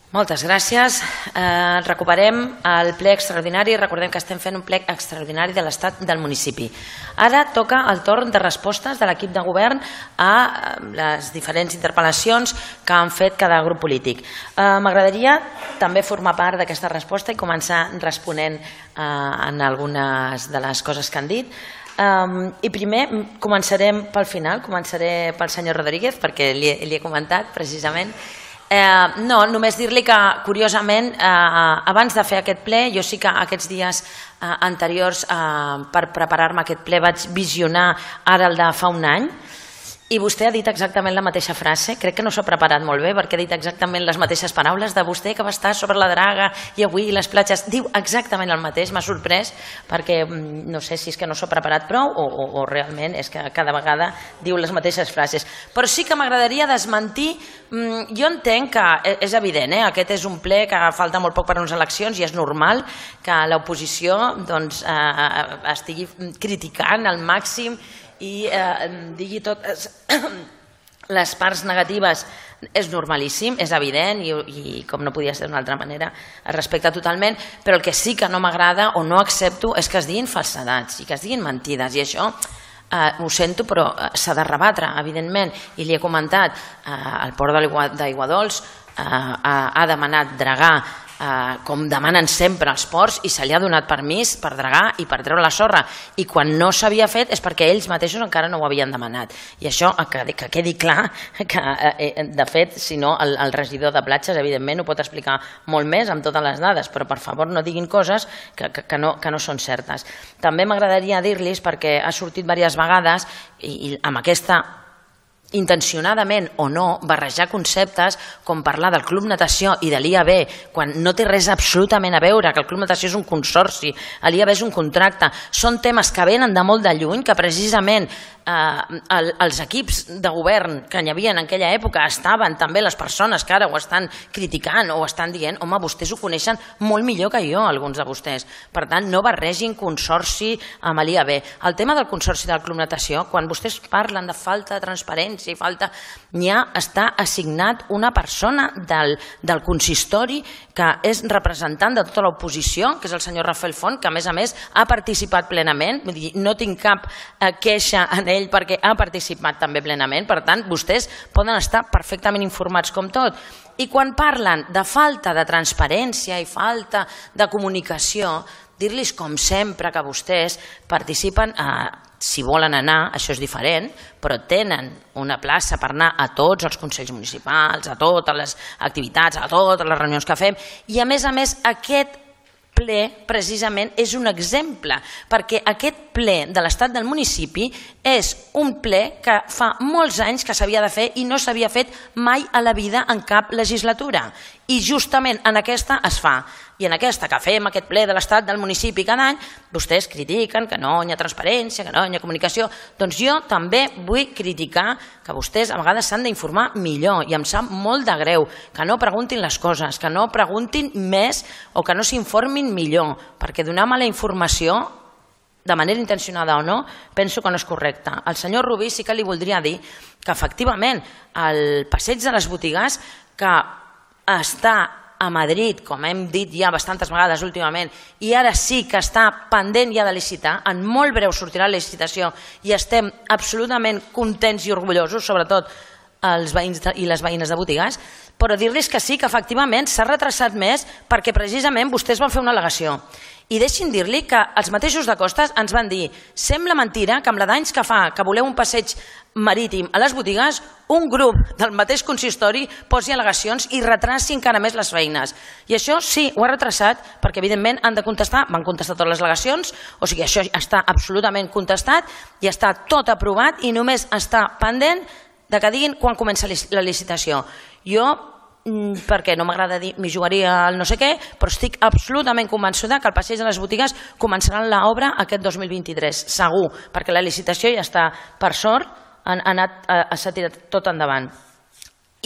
Moltes gràcies. Recuperem el ple extraordinari. Recordem que estem fent un ple extraordinari de l'estat del municipi. Ara toca el torn de respostes de l'equip de govern a les diferents interpel·lacions que han fet cada grup polític. M'agradaria també formar part d'aquesta resposta i començar responent en algunes de les coses que han dit. I primer començarem pel final, començaré pel senyor Rodríguez perquè li he comentat precisament. No, només dir-li que curiosament abans de fer aquest ple, jo sí que aquests dies anteriors per preparar-me aquest ple vaig visionar ara el de fa un any i vostè ha dit exactament la mateixa frase. Crec que no s'ha preparat molt bé perquè ha dit exactament les mateixes paraules de vostè que va estar sobre la draga i avui les platges. Diu exactament el mateix, m'ha sorprès perquè no sé si és que no s'ha preparat prou o realment és que cada vegada diu les mateixes frases. Però sí que m'agradaria desmentir. Jo entenc que és evident, aquest és un ple que falta molt poc per a unes eleccions i és normal que l'oposició estigui criticant al màxim i digui totes les parts negatives. És normalíssim, és evident i com no podia ser d'una altra manera es respecta totalment, però el que sí que no m'agrada o no accepto és que es diguin falsedats i que es diguin mentides i això ho sento però s'ha de rebatre evidentment i li he comentat el port d'Aiguadols ha demanat dragar com demanen sempre els ports i se li ha donat permís per dragar i per treure la sorra i quan no s'havia fet és perquè ells mateixos encara no ho havien demanat i això que quedi clar que de fet si no el regidor de platges evidentment ho pot explicar molt més amb totes les dades però per favor no diguin coses que no són certes. També m'agradaria dir-los perquè ha sortit diverses vegades i amb aquesta intencionadament o no, barrejar conceptes com parlar del Club Natació i de l'IAB quan no té res absolutament a veure, que el Club Natació és un consorci, l'IAB és un contracte, són temes que venen de molt de lluny, que precisament els equips de govern que hi havia en aquella època estaven també les persones que ara ho estan criticant o estan dient, home, vostès ho coneixen molt millor que jo, alguns de vostès. Per tant, no barregin consorci amb l'IAB. El tema del consorci del Club Natació, quan vostès parlen de falta de transparència i falta... està assignat una persona del consistori que és representant de tota l'oposició, que és el senyor Rafael Font, que a més ha participat plenament, vull dir, no tinc cap queixa en ell perquè ha participat també plenament, per tant, vostès poden estar perfectament informats com tot. I quan parlen de falta de transparència i falta de comunicació, dir-los com sempre que vostès participen, si volen anar, això és diferent, però tenen una plaça per anar a tots els consells municipals, a totes les activitats, a totes les reunions que fem, i a més aquest ple precisament és un exemple, perquè aquest ple de l'estat del municipi és un ple que fa molts anys que s'havia de fer i no s'havia fet mai a la vida en cap legislatura. I justament en aquesta es fa. I en aquesta que fem aquest ple de l'estat del municipi cada any, vostès critiquen que no hi ha transparència, que no hi ha comunicació. Doncs jo també vull criticar que vostès a vegades s'han d'informar millor i em sap molt de greu que no preguntin les coses, que no preguntin més o que no s'informin millor, perquè donar mala informació, de manera intencionada o no, penso que no és correcte. Al senyor Rubí sí que li voldria dir que efectivament el passeig de les botigues que està a Madrid, com hem dit ja bastantes vegades últimament, i ara sí que està pendent ja de licitar, en molt breu sortirà la licitació i estem absolutament contents i orgullosos, sobretot els veïns i les veïnes de botigues, però dir-los que sí, que efectivament s'ha retrasat més perquè precisament vostès van fer una al·legació. I deixin dir-li que els mateixos de Costes ens van dir sembla mentira que amb la d'anys que fa que voleu un passeig marítim a les botigues, un grup del mateix consistori posi al·legacions i retraci encara més les feines. I això sí, ho ha retrasat perquè evidentment han de contestar, van contestar totes les al·legacions, o sigui, això està absolutament contestat i està tot aprovat i només està pendent de que diguin quan comença la licitació. Jo, perquè no m'agrada dir m'hi jugaria al no sé què, però estic absolutament convençuda que el passeig de les botigues començarà l'obra aquest 2023, segur, perquè la licitació ja està, per sort, s'ha tirat tot endavant.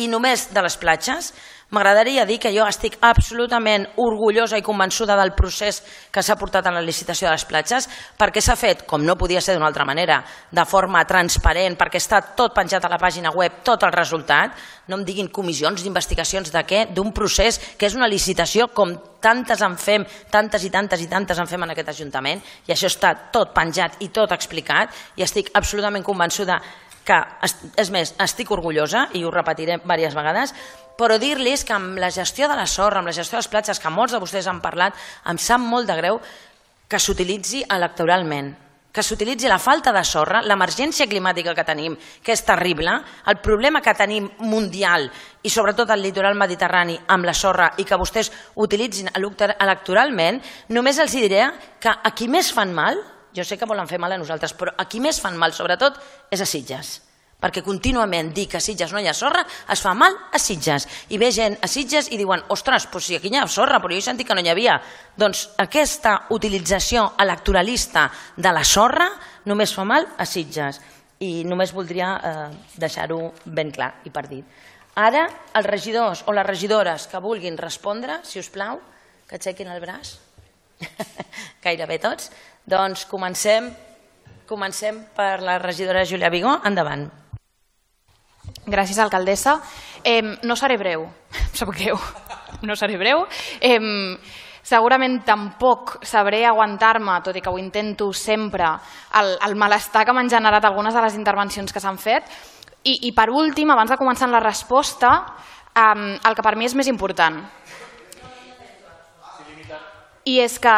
I només de les platges, M'agradaria dir que jo estic absolutament orgullosa i convençuda del procés que s'ha portat en la licitació de les platges, perquè s'ha fet, com no podia ser d'una altra manera, de forma transparent, perquè està tot penjat a la pàgina web, tot el resultat. No em diguin comissions d'investigacions de què, d'un procés que és una licitació com tantes en fem, tantes i tantes i tantes en fem en aquest Ajuntament, i això està tot penjat i tot explicat, i estic absolutament convençuda que, és més, estic orgullosa, i ho repetiré diverses vegades, però dir-los que amb la gestió de la sorra, amb la gestió de les platges, que molts de vostès han parlat, em sap molt de greu que s'utilitzi electoralment, que s'utilitzi la falta de sorra, l'emergència climàtica que tenim, que és terrible, el problema que tenim mundial i sobretot al litoral mediterrani amb la sorra, i que vostès utilitzin electoralment. Només els diré que a qui més fan mal, jo sé que volen fer mal a nosaltres, però a qui més fan mal sobretot és a Sitges, perquè contínuament dir que a Sitges no hi ha sorra es fa mal a Sitges, i ve gent a Sitges i diuen, ostres, doncs si aquí hi ha sorra, però jo he sentit que no hi havia. Doncs aquesta utilització electoralista de la sorra només fa mal a Sitges, i només voldria deixar-ho ben clar i per dit. Ara, els regidors o les regidores que vulguin respondre, si us plau, que aixequin el braç, gairebé tots. Doncs comencem per la regidora Júlia Vigó. Endavant. Gràcies, alcaldessa. No seré breu, em sap greu, no seré breu. Segurament tampoc sabré aguantar-me, tot i que ho intento sempre, el malestar que m'han generat algunes de les intervencions que s'han fet. I per últim, abans de començar la resposta, el que per mi és més important. I és que,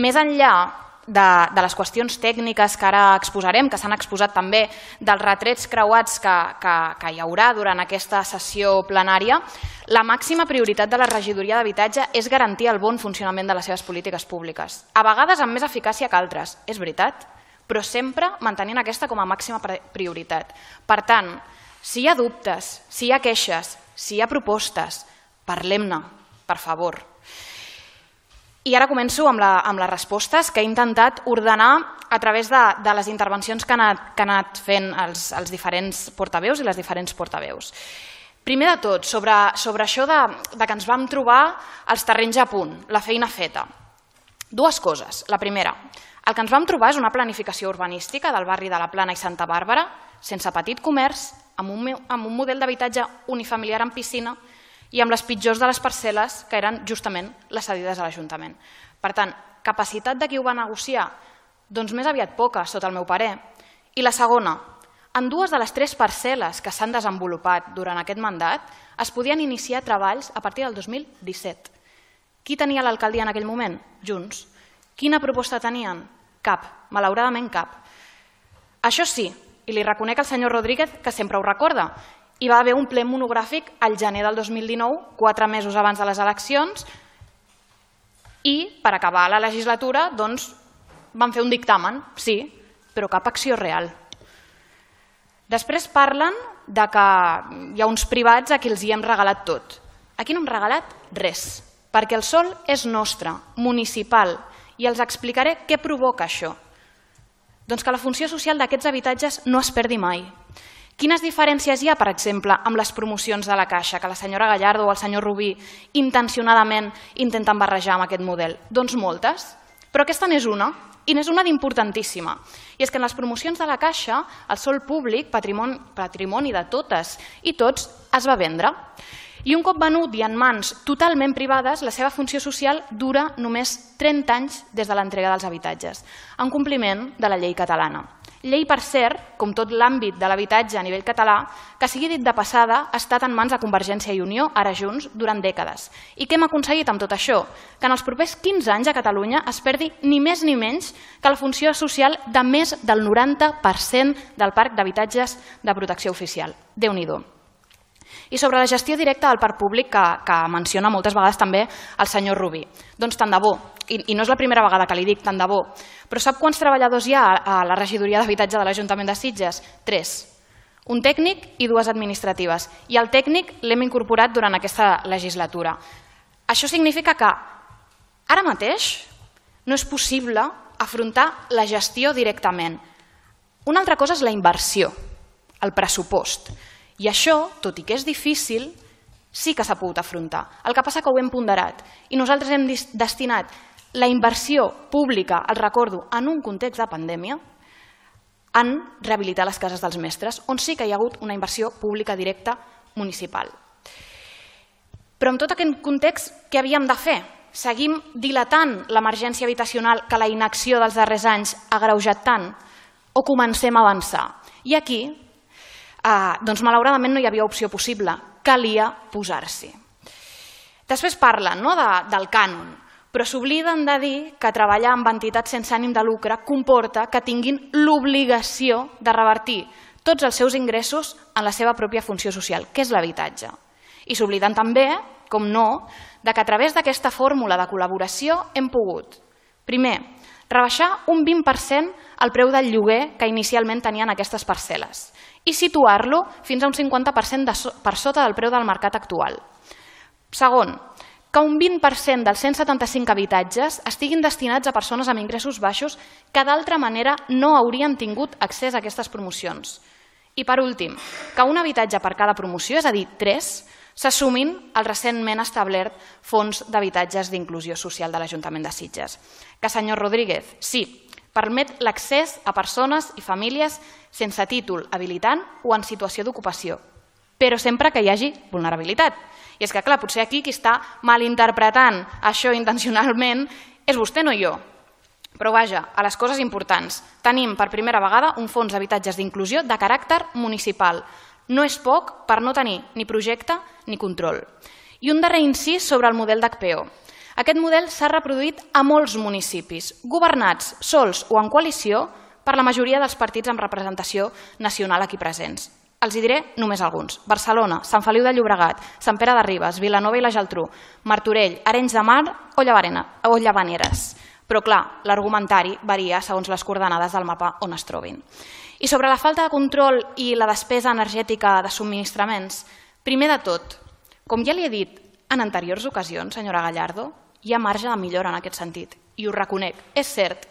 més enllà de les qüestions tècniques que ara exposarem, que s'han exposat també, dels retrets creuats que hi haurà durant aquesta sessió plenària, la màxima prioritat de la regidoria d'habitatge és garantir el bon funcionament de les seves polítiques públiques. A vegades amb més eficàcia que altres, és veritat, però sempre mantenint aquesta com a màxima prioritat. Per tant, si hi ha dubtes, si hi ha queixes, si hi ha propostes, parlem-ne, per favor. I ara començo amb les respostes que he intentat ordenar a través de les intervencions que han anat fent els diferents portaveus i les diferents portaveus. Primer de tot, sobre això que ens vam trobar els terrenys a punt, la feina feta. Dues coses. La primera, el que ens vam trobar és una planificació urbanística del barri de la Plana i Santa Bàrbara, sense petit comerç, amb un model d'habitatge unifamiliar amb piscina, i amb les pitjors de les parcel·les, que eren justament les cedides a l'Ajuntament. Per tant, capacitat de qui ho va negociar? Doncs més aviat poca, sota el meu parer. I la segona, en dues de les 3 parcel·les que s'han desenvolupat durant aquest mandat es podien iniciar treballs a partir del 2017. Qui tenia l'alcaldia en aquell moment? Junts. Quina proposta tenien? Cap, malauradament cap. Això sí, i li reconec al senyor Rodríguez, que sempre ho recorda, hi va haver un ple monogràfic al gener del 2019, 4 mesos abans de les eleccions, i per acabar la legislatura van fer un dictamen, sí, però cap acció real. Després parlen que hi ha uns privats a qui els hi hem regalat tot. Aquí no hem regalat res, perquè el sòl és nostre, municipal, i els explicaré què provoca això. Doncs que la funció social d'aquests habitatges no es perdi mai. Quines diferències hi ha, per exemple, amb les promocions de la Caixa, que la senyora Gallardo o el senyor Rubí intencionadament intenten barrejar amb aquest model? Doncs moltes, però aquesta n'és una, i n'és una d'importantíssima. I és que en les promocions de la Caixa, el sòl públic, patrimoni de totes i tots, es va vendre. I un cop venut i en mans totalment privades, la seva funció social dura només 30 anys des de l'entrega dels habitatges, en compliment de la llei catalana. Llei, per cert, com tot l'àmbit de l'habitatge a nivell català, que sigui dit de passada, ha estat en mans de Convergència i Unió, ara Junts, durant dècades. I què hem aconseguit amb tot això? Que en els propers 15 anys a Catalunya es perdi ni més ni menys que la funció social de més del 90% del parc d'habitatges de protecció oficial. Déu-n'hi-do. I sobre la gestió directa del parc públic, que menciona moltes vegades també el senyor Rubí. Doncs tant de bo, i no és la primera vegada que li dic tant de bo, però sap quants treballadors hi ha a la regidoria d'habitatge de l'Ajuntament de Sitges? 3. Un tècnic i 2 administratives. I el tècnic l'hem incorporat durant aquesta legislatura. Això significa que ara mateix no és possible afrontar la gestió directament. Una altra cosa és la inversió, el pressupost. I això, tot i que és difícil, sí que s'ha pogut afrontar. El que passa que ho hem ponderat i nosaltres hem destinat la inversió pública, el recordo, en un context de pandèmia, en rehabilitar les cases dels mestres, on sí que hi ha hagut una inversió pública directa municipal. Però en tot aquest context, què havíem de fer? Seguim dilatant l'emergència habitacional que la inacció dels darrers anys ha agreujat tant? O comencem a avançar? I aquí, doncs malauradament no hi havia opció possible, calia posar-s'hi. Després parlen del cànon, però s'obliden de dir que treballar amb entitats sense ànim de lucre comporta que tinguin l'obligació de revertir tots els seus ingressos en la seva pròpia funció social, que és l'habitatge. I s'obliden també, com no, que a través d'aquesta fórmula de col·laboració hem pogut, primer, rebaixar un 20% el preu del lloguer que inicialment tenien aquestes parcel·les i situar-lo fins a un 50% per sota del preu del mercat actual. Segon, que un 20% dels 175 habitatges estiguin destinats a persones amb ingressos baixos que d'altra manera no haurien tingut accés a aquestes promocions. I per últim, que un habitatge per cada promoció, és a dir, 3, s'assumin el recentment establert Fons d'Habitatges d'Inclusió Social de l'Ajuntament de Sitges. Que, senyor Rodríguez, sí, permet l'accés a persones i famílies sense títol habilitant o en situació d'ocupació, però sempre que hi hagi vulnerabilitat. I és que, clar, potser aquí qui està malinterpretant això intencionalment és vostè, no jo. Però vaja, a les coses importants. Tenim per primera vegada un fons d'habitatges d'inclusió de caràcter municipal. No és poc per no tenir ni projecte ni control. I un darrer incís sobre el model d'HPO. Aquest model s'ha reproduït a molts municipis, governats sols o en coalició per la majoria dels partits amb representació nacional aquí presents. Els hi diré només alguns. Barcelona, Sant Feliu de Llobregat, Sant Pere de Ribes, Vilanova i la Geltrú, Martorell, Arenys de Mar o Llavaneres. Però clar, l'argumentari varia segons les coordenades del mapa on es trobin. I sobre la falta de control i la despesa energètica de subministraments, primer de tot, com ja li he dit en anteriors ocasions, senyora Gallardo, hi ha marge de millora en aquest sentit, i ho reconec, és cert.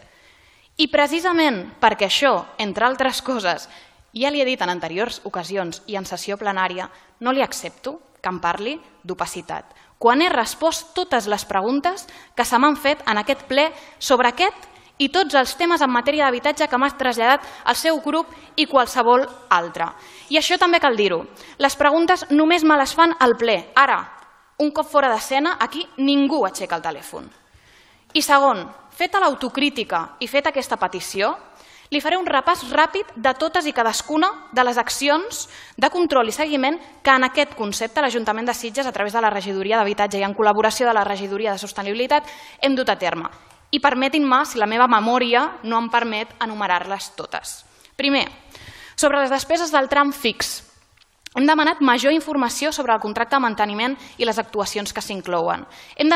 I precisament perquè això, entre altres coses, ja li he dit en anteriors ocasions i en sessió plenària, no li accepto que em parli d'opacitat, quan he respost totes les preguntes que se m'han fet en aquest ple sobre aquest i tots els temes en matèria d'habitatge que m'ha traslladat el seu grup i qualsevol altre. I això també cal dir-ho. Les preguntes només me les fan al ple. Ara, un cop fora d'escena, aquí ningú aixeca el telèfon. I segon, feta l'autocrítica i feta aquesta petició, li faré un repàs ràpid de totes i cadascuna de les accions de control i seguiment que en aquest concepte l'Ajuntament de Sitges, a través de la Regidoria d'Habitatge i en col·laboració de la Regidoria de Sostenibilitat, hem dut a terme. I permetin-me, si la meva memòria no em permet, enumerar-les totes. Primer, sobre les despeses del tram fix. Hem demanat major informació sobre el contracte de manteniment i les actuacions que s'inclouen. Hem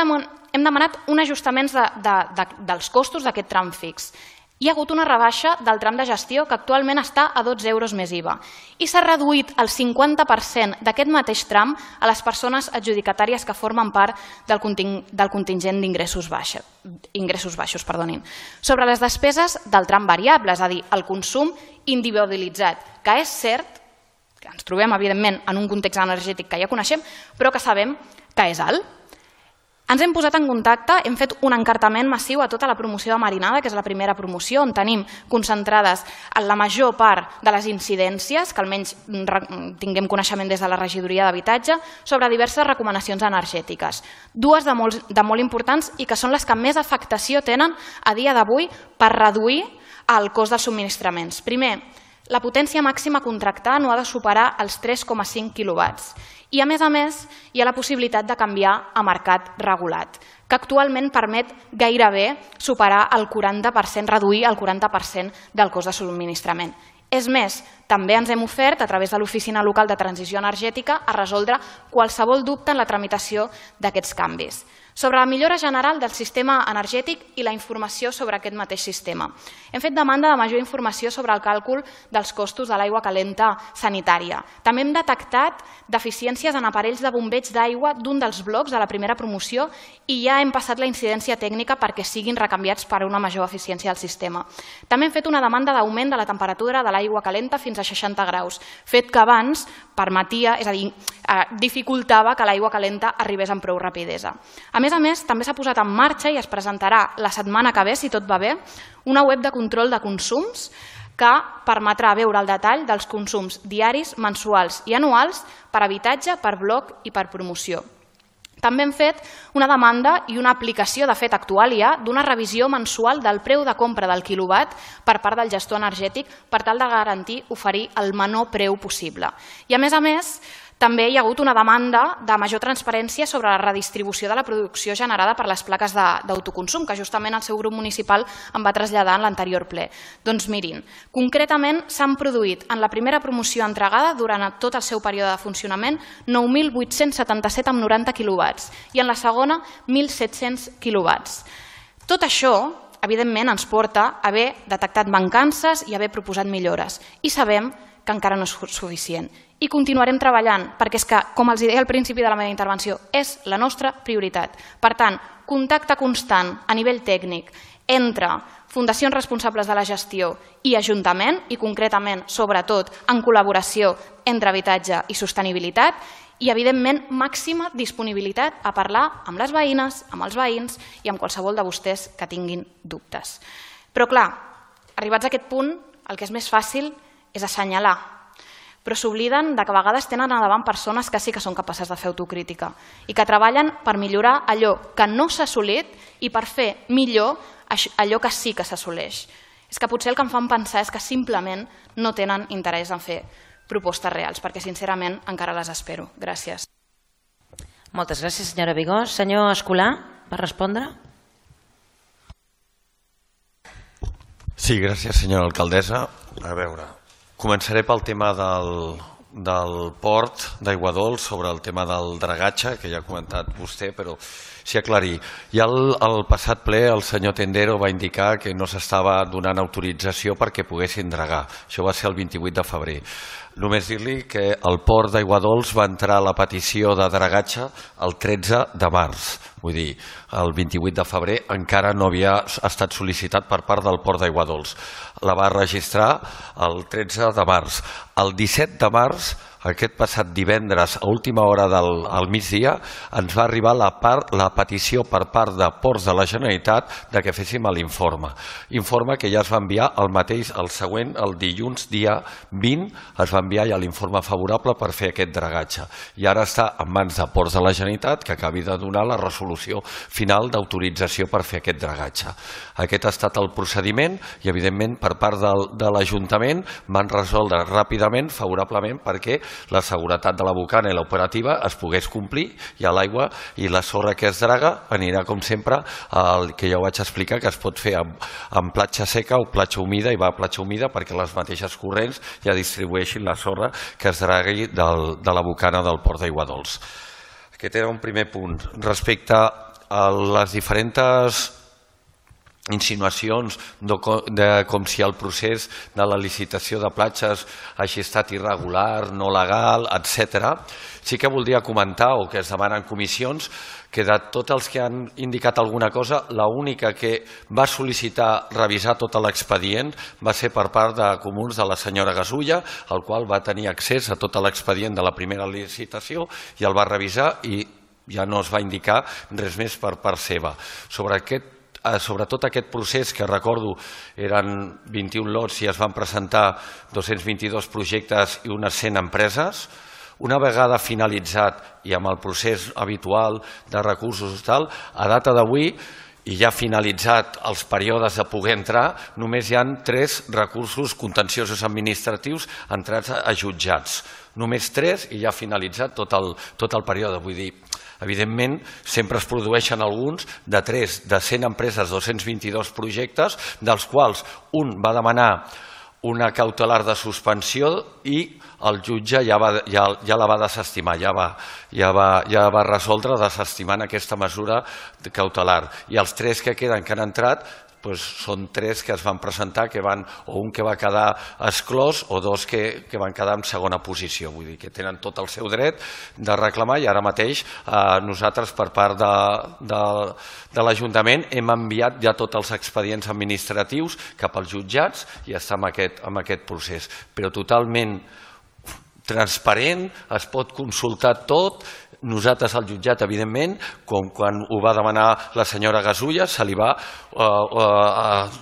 demanat un ajustament dels costos d'aquest tram fix. Hi ha hagut una rebaixa del tram de gestió que actualment està a 12 euros més IVA i s'ha reduït el 50% d'aquest mateix tram a les persones adjudicatàries que formen part del contingent d'ingressos baixos. Sobre les despeses del tram variable, és a dir, el consum individualitzat, que és cert que ens trobem, evidentment, en un context energètic que ja coneixem, però que sabem que és alt. Ens hem posat en contacte, hem fet un encartament massiu a tota la promoció de Marinada, que és la primera promoció, on tenim concentrades la major part de les incidències, que almenys tinguem coneixement des de la Regidoria d'Habitatge, sobre diverses recomanacions energètiques. Dues de molt importants i que són les que més afectació tenen a dia d'avui per reduir el cost dels subministraments. Primer, la potència màxima a contractar no ha de superar els 3,5 quilowatts. I a més, hi ha la possibilitat de canviar a mercat regulat, que actualment permet gairebé superar el 40%, reduir el 40% del cost de subministrament. És més, també ens hem ofert, a través de l'Oficina Local de Transició Energètica, a resoldre qualsevol dubte en la tramitació d'aquests canvis. Sobre la millora general del sistema energètic i la informació sobre aquest mateix sistema. Hem fet demanda de major informació sobre el càlcul dels costos de l'aigua calenta sanitària. També hem detectat deficiències en aparells de bombeig d'aigua d'un dels blocs de la primera promoció i ja hem passat la incidència tècnica perquè siguin recanviats per una major eficiència del sistema. També hem fet una demanda d'augment de la temperatura de l'aigua calenta fins fins a 60 graus, fet que abans permetia, és a dir, dificultava que l'aigua calenta arribés amb prou rapidesa. A més, també s'ha posat en marxa i es presentarà la setmana que ve, si tot va bé, una web de control de consums que permetrà veure el detall dels consums diaris, mensuals i anuals per habitatge, per bloc i per promoció. També hem fet una demanda i una aplicació, de fet actual ja, d'una revisió mensual del preu de compra del quilowatt per part del gestor energètic per tal de garantir oferir el menor preu possible. I a més, també hi ha hagut una demanda de major transparència sobre la redistribució de la producció generada per les plaques d'autoconsum, que justament el seu grup municipal em va traslladar en l'anterior ple. Doncs mirin, concretament s'han produït en la primera promoció entregada durant tot el seu període de funcionament 9.877,90 quilowatts i en la segona 1.700 quilowatts. Tot això, evidentment, ens porta a haver detectat mancances i haver proposat millores. I sabem que encara no és suficient. I continuarem treballant, perquè és que, com els deia al principi de la meva intervenció, és la nostra prioritat. Per tant, contacte constant a nivell tècnic entre fundacions responsables de la gestió i Ajuntament, i concretament, sobretot, en col·laboració entre habitatge i sostenibilitat, i, evidentment, màxima disponibilitat a parlar amb les veïnes, amb els veïns i amb qualsevol de vostès que tinguin dubtes. Però, clar, arribats a aquest punt, el que és més fàcil és assenyalar, però s'obliden que a vegades tenen a davant persones que sí que són capaces de fer autocrítica i que treballen per millorar allò que no s'ha assolit i per fer millor allò que sí que s'assoleix. És que potser el que em fan pensar és que simplement no tenen interès en fer propostes reals, perquè sincerament encara les espero. Gràcies. Moltes gràcies, senyora Vigó. Senyor Escolà, per respondre. Sí, gràcies, senyora alcaldessa. A veure, començaré pel tema del port d'Aiguadols, sobre el tema del dragatge, que ja ha comentat vostè, però sí aclarir. Ja al passat ple el senyor Tendero va indicar que no s'estava donant autorització perquè poguessin dragar. Això va ser el 28 de febrer. Només dir-li que el port d'Aiguadols va entrar a la petició de dragatge el 13 de març. Vull dir, el 28 de febrer encara no havia estat sol·licitat per part del port d'Aiguadols. La va registrar el 13 de març. El 17 de març, aquest passat divendres, a última hora al migdia, ens va arribar la petició per part de Ports de la Generalitat de que féssim l'informe. Informe que ja es va enviar el següent, el dilluns dia 20, es va enviar ja l'informe favorable per fer aquest dragatge. I ara està en mans de Ports de la Generalitat que acabi de donar la resolució final d'autorització per fer aquest dragatge. Aquest ha estat el procediment i, evidentment, per part de l'Ajuntament van resoldre ràpidament, favorablement, perquè la seguretat de la bocana i l'operativa es pogués complir i a l'aigua i la sorra que es draga anirà, com sempre, el que ja ho vaig explicar, que es pot fer en platja seca o platja humida, i va a platja humida perquè les mateixes corrents ja distribueixin la sorra que es dragui de la bocana del port d'Aiguadols. Aquest era un primer punt. Respecte a les diferents insinuacions de com si el procés de la licitació de platges hagi estat irregular, no legal, etc. Sí que voldria comentar, o que es demanen comissions, que de tots els que han indicat alguna cosa, l'única que va sol·licitar revisar tot l'expedient va ser per part de comuns de la senyora Gasulla, el qual va tenir accés a tot l'expedient de la primera licitació i el va revisar i ja no es va indicar res més per part seva. Sobre tot aquest procés, que recordo eren 21 lots i es van presentar 222 projectes i unes 100 empreses, una vegada finalitzat i amb el procés habitual de recursos i tal, a data d'avui i ja finalitzat els períodes de poder entrar, només hi ha 3 recursos contenciosos administratius entrats a jutjats. Només 3 i ja ha finalitzat tot el període. Vull dir, evidentment, sempre es produeixen alguns de 100 empreses, 222 projectes, dels quals un va demanar una cautelar de suspensió i el jutge ja la va desestimar, ja va resoldre desestimant aquesta mesura cautelar. I els 3 que queden, que han entrat, són 3 que es van presentar, o un que va quedar exclòs o 2 que van quedar en segona posició. Vull dir que tenen tot el seu dret de reclamar, i ara mateix nosaltres per part de l'Ajuntament hem enviat ja tots els expedients administratius cap als jutjats i està en aquest procés. Però totalment transparent, es pot consultar tot. Nosaltres al jutjat, evidentment, com quan ho va demanar la senyora Gasulla, se li va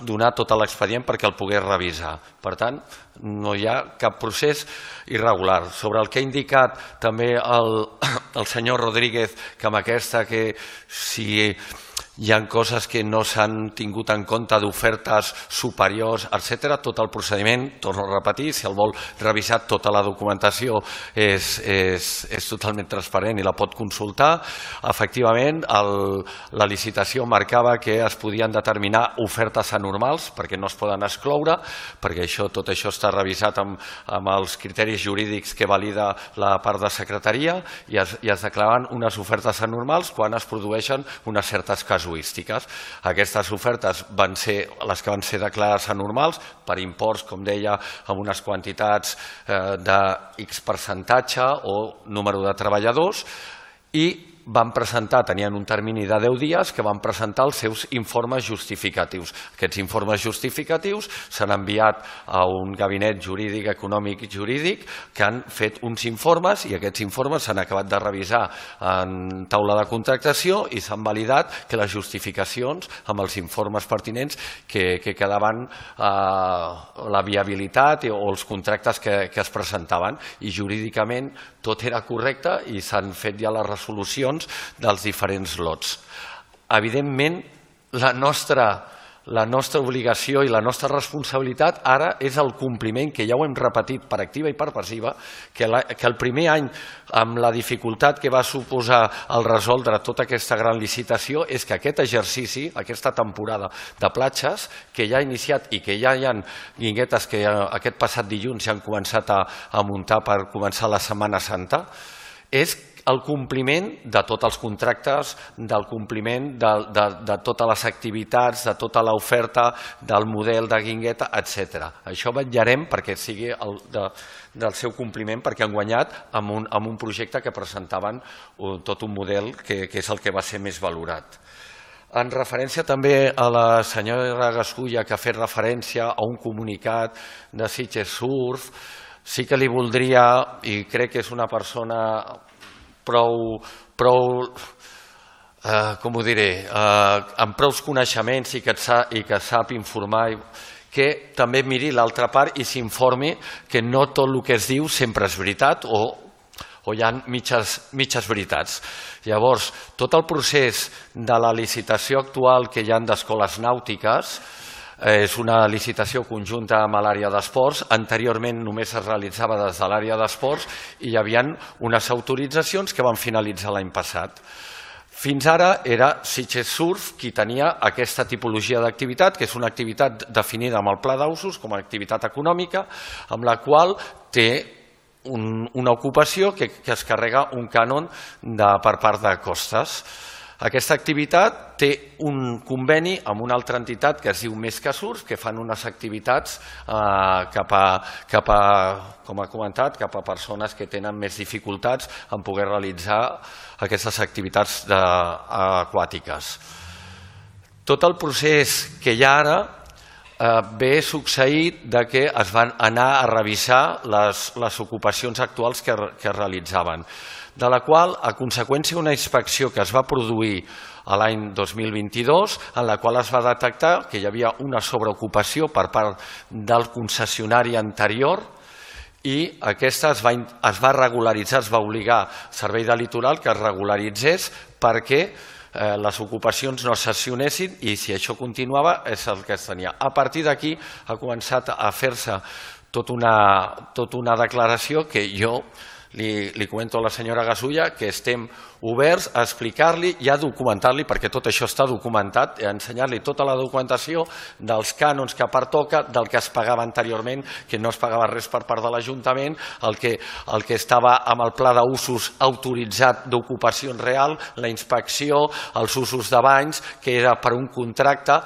donar tot l'expedient perquè el pogués revisar. Per tant, no hi ha cap procés irregular. Sobre el que ha indicat també el senyor Rodríguez, que amb aquesta que si hi ha coses que no s'han tingut en compte d'ofertes superiors, etc. Tot el procediment, torno a repetir, si el vol revisar, tota la documentació és totalment transparent i la pot consultar. Efectivament, la licitació marcava que es podien determinar ofertes anormals perquè no es poden excloure, perquè tot això està revisat amb els criteris jurídics que valida la part de secretaria i es declaren unes ofertes anormals quan es produeixen unes certes casuístiques. Aquestes ofertes van ser les que van ser declarades anormals per imports, com deia, amb unes quantitats de X percentatge o número de treballadors, i van presentar, tenien un termini de 10 dies que van presentar els seus informes justificatius. Aquests informes justificatius s'han enviat a un gabinet jurídic, econòmic i jurídic, que han fet uns informes i aquests informes s'han acabat de revisar en taula de contractació i s'han validat que les justificacions amb els informes pertinents que quedaven la viabilitat o els contractes que es presentaven, i jurídicament tot era correcte i s'han fet ja les resolucions dels diferents lots. Evidentment, la nostra obligació i la nostra responsabilitat ara és el compliment, que ja ho hem repetit per activa i per passiva, que el primer any, amb la dificultat que va suposar el resoldre tota aquesta gran licitació, és que aquest exercici, aquesta temporada de platges, que ja ha iniciat i que ja hi ha guinguetes que aquest passat dilluns ja han començat a muntar per començar la Setmana Santa, és el compliment de tots els contractes, del compliment de totes les activitats, de tota l'oferta, del model de guingueta, etc. Això vetllarem perquè sigui del seu compliment, perquè han guanyat amb un projecte que presentaven tot un model que és el que va ser més valorat. En referència també a la senyora Gasulla, que ha fet referència a un comunicat de Sitges Surf, sí que li voldria, i crec que és una persona prou, com ho diré, amb prous coneixements i que sap informar, que també miri l'altra part i s'informi que no tot el que es diu sempre és veritat o hi ha mitges veritats. Llavors, tot el procés de la licitació actual que hi ha d'escoles nàutiques és una licitació conjunta amb l'àrea d'esports. Anteriorment només es realitzava des de l'àrea d'esports i hi havia unes autoritzacions que van finalitzar l'any passat. Fins ara era Sitges Surf qui tenia aquesta tipologia d'activitat, que és una activitat definida amb el pla d'usos com a activitat econòmica, amb la qual té una ocupació que es carrega un cànon per part de costes. Aquesta activitat té un conveni amb una altra entitat que es diu Més que Surf, que fan unes activitats cap a, com ha comentat, cap a persones que tenen més dificultats en poder realitzar aquestes activitats aquàtiques. Tot el procés que hi ha ara ve succeït que es van anar a revisar les ocupacions actuals que es realitzaven, de la qual, a conseqüència d'una inspecció que es va produir l'any 2022, en la qual es va detectar que hi havia una sobreocupació per part del concessionari anterior, i aquesta es va regularitzar, es va obligar al Servei de Litoral que es regularitzés perquè les ocupacions no cessionessin, i si això continuava és el que es tenia. A partir d'aquí ha començat a fer-se tota una declaració que jo li comento a la senyora Gasulla que estem oberts a explicar-li i a documentar-li, perquè tot això està documentat, a ensenyar-li tota la documentació dels cànons que pertoca, del que es pagava anteriorment, que no es pagava res per part de l'Ajuntament, el que estava amb el pla d'usos autoritzat d'ocupació real, la inspecció, els usos de banys, que era per un contracte.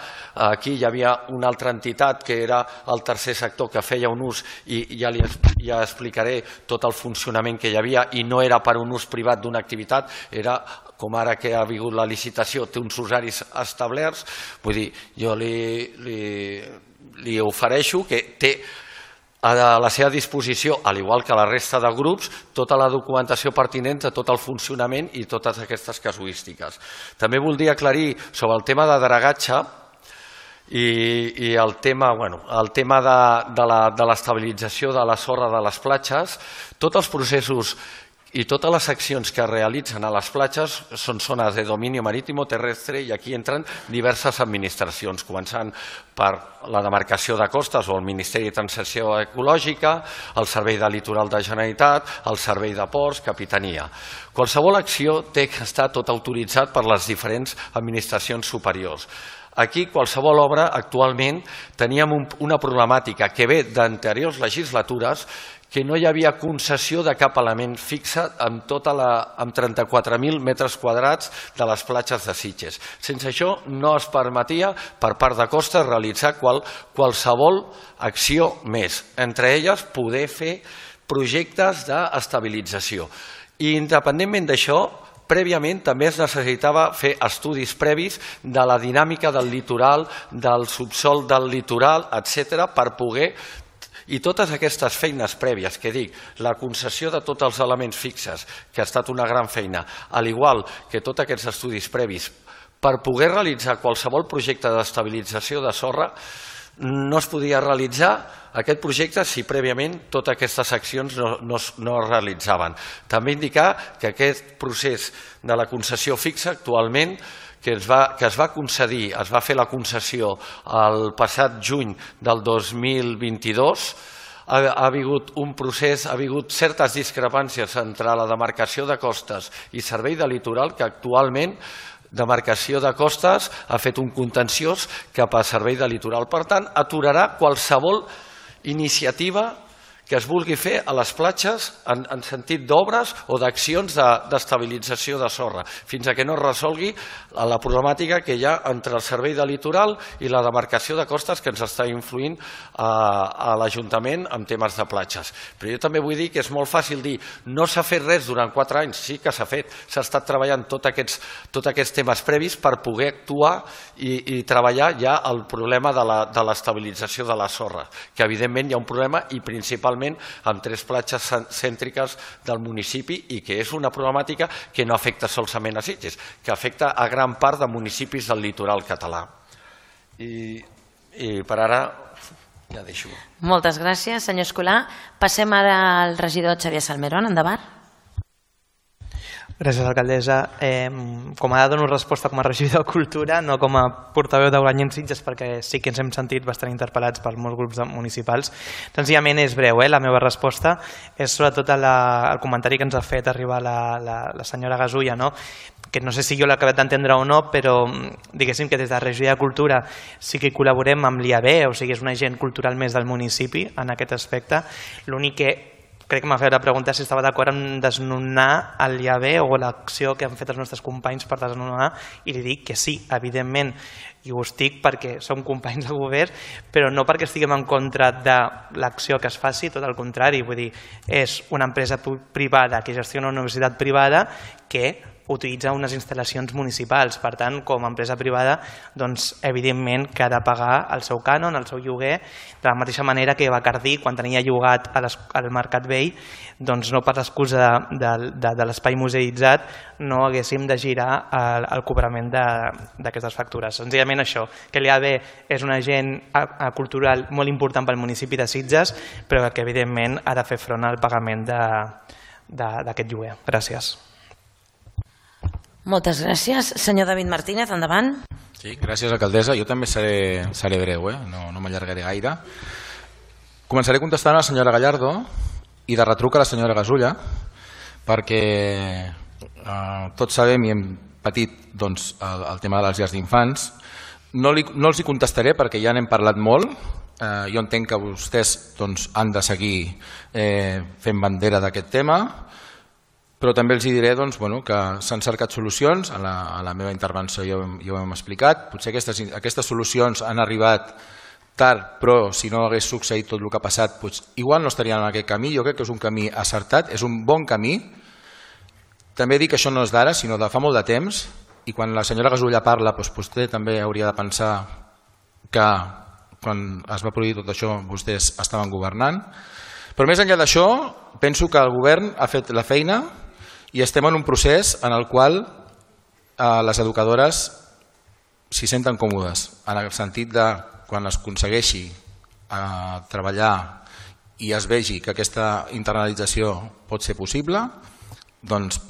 Aquí hi havia una altra entitat que era el tercer sector que feia un ús i ja explicaré tot el funcionament que hi havia i no era per un ús privat d'una activitat, era com ara que ha vingut la licitació, té uns horaris establerts. Vull dir, jo li ofereixo que té a la seva disposició, al igual que la resta de grups, tota la documentació pertinent de tot el funcionament i totes aquestes casuístiques. També voldria aclarir sobre el tema de dragatge i el tema de l'estabilització de la sorra de les platges. Tots els processos i totes les accions que es realitzen a les platges són zones de domini marítim o terrestre i aquí entren diverses administracions, començant per la demarcació de costes o el Ministeri de Transició Ecològica, el Servei de Litoral de Generalitat, el Servei de Ports, Capitania. Qualsevol acció té que estar tot autoritzat per les diferents administracions superiors. Aquí, qualsevol obra, actualment, teníem una problemàtica que ve d'anteriors legislatures, que no hi havia concessió de cap element fixe amb 34.000 metres quadrats de les platges de Sitges. Sense això no es permetia per part de Costes realitzar qualsevol acció més, entre elles poder fer projectes d'estabilització. I independentment d'això, prèviament també es necessitava fer estudis previs de la dinàmica del litoral, del subsòl del litoral, etc., per poder. I totes aquestes feines prèvies, que dic, la concessió de tots els elements fixes, que ha estat una gran feina, al igual que tots aquests estudis previs, per poder realitzar qualsevol projecte d'estabilització de sorra, no es podia realitzar aquest projecte si prèviament totes aquestes accions no es realitzaven. També indicar que aquest procés de la concessió fixa actualment que es va concedir, es va fer la concessió el passat juny del 2022, ha hagut un procés, ha hagut certes discrepàncies entre la demarcació de costes i Servei de Litoral, que actualment demarcació de costes ha fet un contenciós cap a Servei de Litoral. Per tant, aturarà qualsevol iniciativa que es vulgui fer a les platges en sentit d'obres o d'accions d'estabilització de sorra, fins a que no es resolgui la problemàtica que hi ha entre el Servei de Litoral i la demarcació de costes que ens està influint a l'Ajuntament en temes de platges. Però jo també vull dir que és molt fàcil dir no s'ha fet res durant 4 anys, sí que s'ha fet, s'ha estat treballant tots aquests temes previs per poder actuar i treballar ja el problema de l'estabilització de la sorra, que evidentment hi ha un problema i principalment amb 3 platges cèntriques del municipi i que és una problemàtica que no afecta solament a Sitges, que afecta a gran part de municipis del litoral català. I per ara ja deixo. Moltes gràcies, senyor Escolà. Passem ara al regidor Xavier Salmerón. Endavant. Gràcies, alcaldessa. Com a dono resposta com a regidor de Cultura, no com a portaveu de Guanyem Sitges, perquè sí que ens hem sentit bastant interpel·lats per molts grups municipals. Senzillament és breu, la meva resposta és sobretot el comentari que ens ha fet arribar la senyora Gasulla, que no sé si jo l'he acabat d'entendre o no, però diguéssim que des de la Regió de Cultura sí que col·laborem amb l'IAB, o sigui, és un agent cultural més del municipi en aquest aspecte. L'únic que crec que m'ha fet la pregunta si estava d'acord en desnonar l'IAB o l'acció que han fet els nostres companys per desnonar, i li dic que sí, evidentment, i ho estic perquè som companys de govern, però no perquè estiguem en contra de l'acció que es faci, tot el contrari, vull dir, és una empresa privada que gestiona una universitat privada que utilitza unes instal·lacions municipals. Per tant, com a empresa privada, doncs, evidentment que ha de pagar el seu cànon, el seu lloguer, de la mateixa manera que Bacardí, quan tenia llogat al Mercat Vell, doncs no per l'excusa de l'espai museïtzat no haguéssim de girar el cobrament d'aquestes factures. Senzillament això, que l'IAB és un agent cultural molt important pel municipi de Sitges, però que evidentment ha de fer front al pagament d'aquest lloguer. Gràcies. Moltes gràcies. Senyor David Martínez, endavant. Sí, gràcies, alcaldessa. Jo també seré breu, no m'allargaré gaire. Començaré contestant a la senyora Gallardo i de retruc a la senyora Gasulla, perquè tots sabem i hem patit el tema de les llars d'infants. No els hi contestaré perquè ja n'hem parlat molt. Jo entenc que vostès han de seguir fent bandera d'aquest tema, però també els diré que s'han cercat solucions. A la meva intervenció ja ho hem explicat. Potser aquestes solucions han arribat tard, però si no hagués succeït tot el que ha passat, igual no estarien en aquest camí. Jo crec que és un camí acertat, és un bon camí. També dic que això no és d'ara, sinó de fa molt de temps, i quan la senyora Gasulla parla, vostè també hauria de pensar que quan es va produir tot això vostès estaven governant. Però més enllà d'això, penso que el govern ha fet la feina i estem en un procés en el qual les educadores s'hi senten còmodes, en el sentit de quan es aconsegueixi treballar i es vegi que aquesta internalització pot ser possible, doncs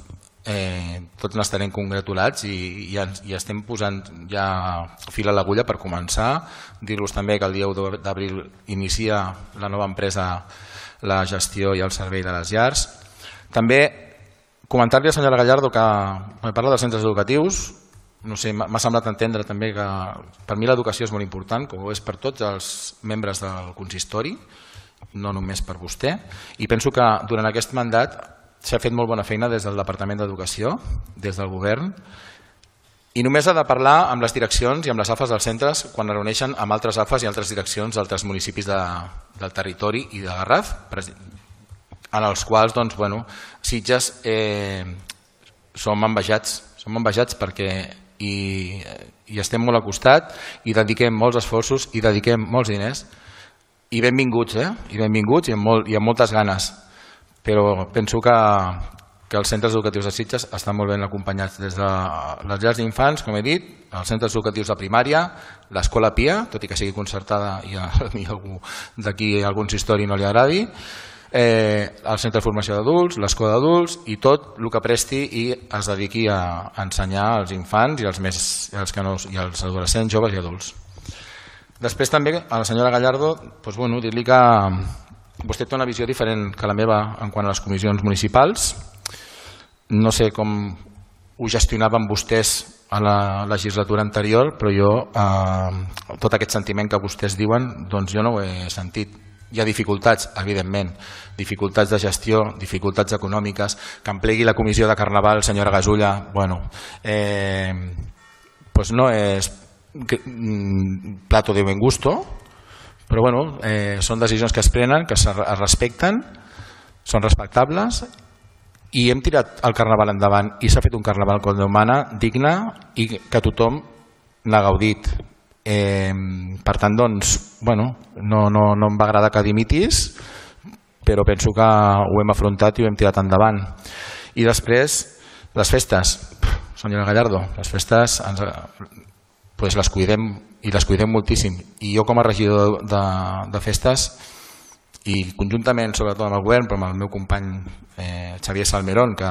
tots n'estarem congratulats i estem posant ja fil a l'agulla per començar. Dir-los també que el dia 1 d'abril inicia la nova empresa la gestió i el servei de les llars. També comentar-li a la senyora Gallardo que parla dels centres educatius. No sé, m'ha semblat entendre també que per mi l'educació és molt important, com ho és per tots els membres del consistori, no només per vostè, i penso que durant aquest mandat s'ha fet molt bona feina des del Departament d'Educació, des del govern, i només ha de parlar amb les direccions i amb les AFAs dels centres quan es reuneixen amb altres AFAs i altres direccions d'altres municipis del territori i de Garraf, en els quals Sitges som envejats perquè hi estem molt al costat i dediquem molts esforços i dediquem molts diners i benvinguts i amb moltes ganes. Però penso que els centres educatius de Sitges estan molt ben acompanyats des de les llars d'infants, com he dit, els centres educatius de primària, l'escola Pia, tot i que sigui concertada i a algú d'aquí a algun consistori no li agradi, el centre de formació d'adults, l'escola d'adults i tot el que presti i es dediqui a ensenyar als infants i als adolescents, joves i adults. Després també a la senyora Gallardo dir-li que vostè té una visió diferent que la meva en quant a les comissions municipals. No sé com ho gestionaven vostès a la legislatura anterior, però jo tot aquest sentiment que vostès diuen jo no ho he sentit. Hi ha dificultats, evidentment, dificultats de gestió, dificultats econòmiques, que em plegui la comissió de Carnaval, senyora Gasulla, no és plato de buen gusto, però són decisions que es prenen, que es respecten, són respectables i hem tirat el Carnaval endavant i s'ha fet un Carnaval com Déu mana, digne i que tothom n'ha gaudit. Per tant, no em va agradar que dimitis, però penso que ho hem afrontat i ho hem tirat endavant. I després, les festes, senyora Gallardo, les festes les cuidem i les cuidem moltíssim, i jo com a regidor de festes i conjuntament sobretot amb el govern però amb el meu company Xavier Salmerón, que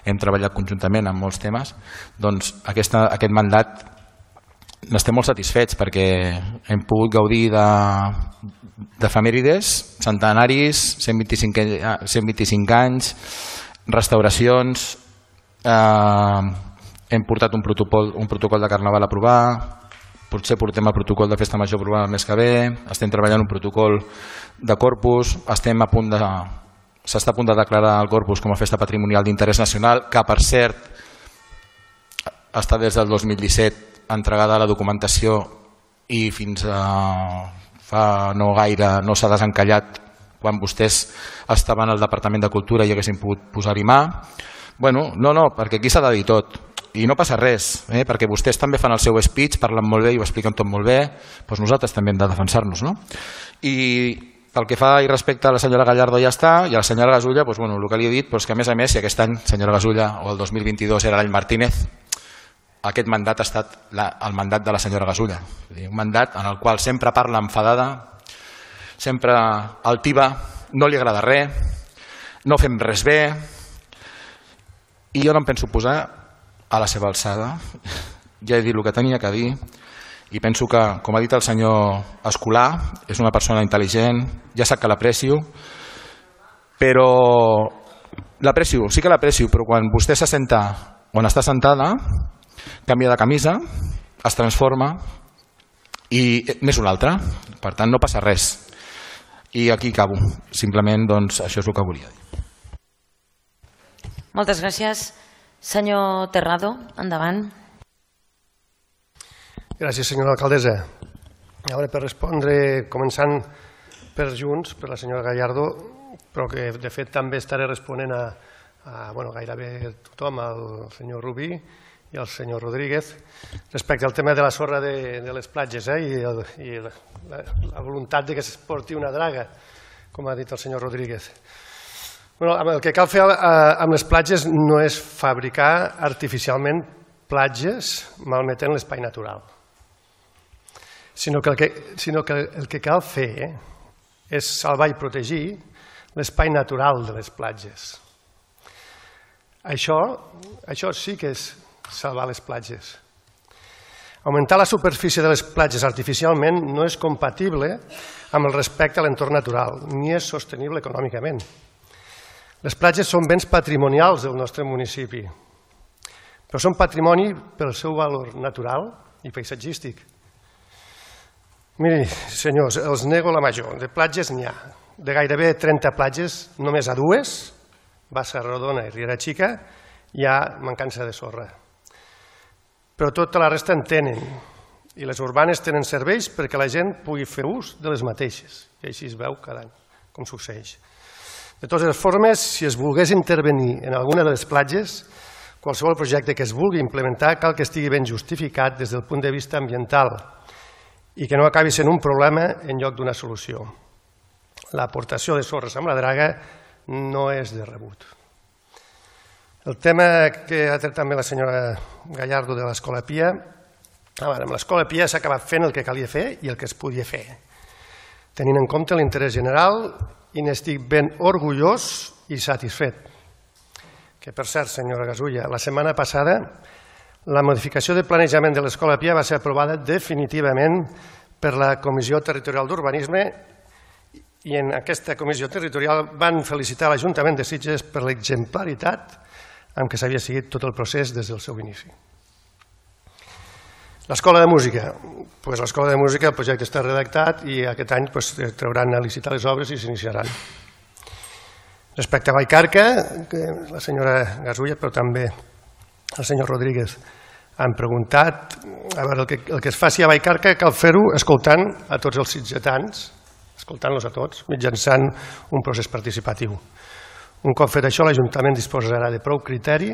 hem treballat conjuntament en molts temes, doncs aquest mandat n'estem molt satisfets perquè hem pogut gaudir d'efemèrides, centenaris, 125 anys, restauracions, hem portat un protocol de Carnaval a aprovar, potser portem el protocol de Festa Major a aprovar el mes que ve, estem treballant un protocol de Corpus, s'està a punt de declarar el Corpus com a festa patrimonial d'interès nacional, que per cert està des del 2017 entregada la documentació i fins a fa no gaire no s'ha desencallat quan vostès estaven al Departament de Cultura i haguessin pogut posar-hi mà. No, perquè aquí s'ha de dir tot. I no passa res, perquè vostès també fan el seu speech, parlen molt bé i ho expliquen tot molt bé, doncs nosaltres també hem de defensar-nos. I pel que fa i respecte a la senyora Gallardo ja està, i a la senyora Gasulla, el que li he dit, que a més, si aquest any, senyora Gasulla, o el 2022 era l'any Martínez, aquest mandat ha estat el mandat de la senyora Gasulla. Un mandat en el qual sempre parla enfadada, sempre altiva, no li agrada res, no fem res bé, i jo no em penso posar a la seva alçada. Ja he dit el que tenia que dir i penso que, com ha dit el senyor Escolà, és una persona intel·ligent, ja sap que l'aprecio, però L'aprecio, sí que l'aprecio, però quan vostè s'assenta on està sentada, canvia de camisa, es transforma i n'és una altra. Per tant, no passa res. I aquí acabo. Simplement, doncs, això és el que volia dir. Moltes gràcies. Senyor Terrado, endavant. Gràcies, senyora alcaldessa. Ara, per respondre, començant per Junts, per la senyora Gallardo, però que de fet també estaré responent a gairebé tothom, al senyor Rubí i al senyor Rodríguez, respecte al tema de la sorra de les platges i la voluntat que es porti una draga, com ha dit el senyor Rodríguez. El que cal fer amb les platges no és fabricar artificialment platges malmetent l'espai natural, sinó que el que cal fer és salvar i protegir l'espai natural de les platges. Això sí que és salvar les platges. Augmentar la superfície de les platges artificialment no és compatible amb el respecte a l'entorn natural, ni és sostenible econòmicament. Les platges són béns patrimonials del nostre municipi, però són patrimoni pel seu valor natural i paisatgístic. Miri, senyors, els nego la major. De platges n'hi ha. De gairebé 30 platges, només a 2, Bassa Rodona i Riera Xica, hi ha mancança de sorra. Però tota la resta en tenen, i les urbanes tenen serveis perquè la gent pugui fer ús de les mateixes, i així es veu cada any, com succeeix. De totes les formes, si es volgués intervenir en alguna de les platges, qualsevol projecte que es vulgui implementar cal que estigui ben justificat des del punt de vista ambiental i que no acabi sent un problema en lloc d'una solució. L'aportació de sorres amb la draga no és de rebut. El tema que ha tret també la senyora Gallardo de l'Escola Pia, amb l'Escola Pia s'ha acabat fent el que calia fer i el que es podia fer, tenint en compte l'interès general, i n'estic ben orgullós i satisfet. Que, per cert, senyora Gasulla, la setmana passada la modificació de planejament de l'Escola Pia va ser aprovada definitivament per la Comissió Territorial d'Urbanisme i en aquesta comissió territorial van felicitar l'Ajuntament de Sitges per l'exemplaritat amb què s'havia seguit tot el procés des del seu inici. L'Escola de Música. L'Escola de Música, el projecte està redactat i aquest any trauran a licitar les obres i s'iniciaran. Respecte a Vallcarca, que la senyora Gasulla, però també el senyor Rodríguez, han preguntat, a veure, el que es faci a Vallcarca cal fer-ho escoltant a tots els sitgetans, escoltant-los a tots, mitjançant un procés participatiu. Un cop fet això, l'Ajuntament disposarà de prou criteri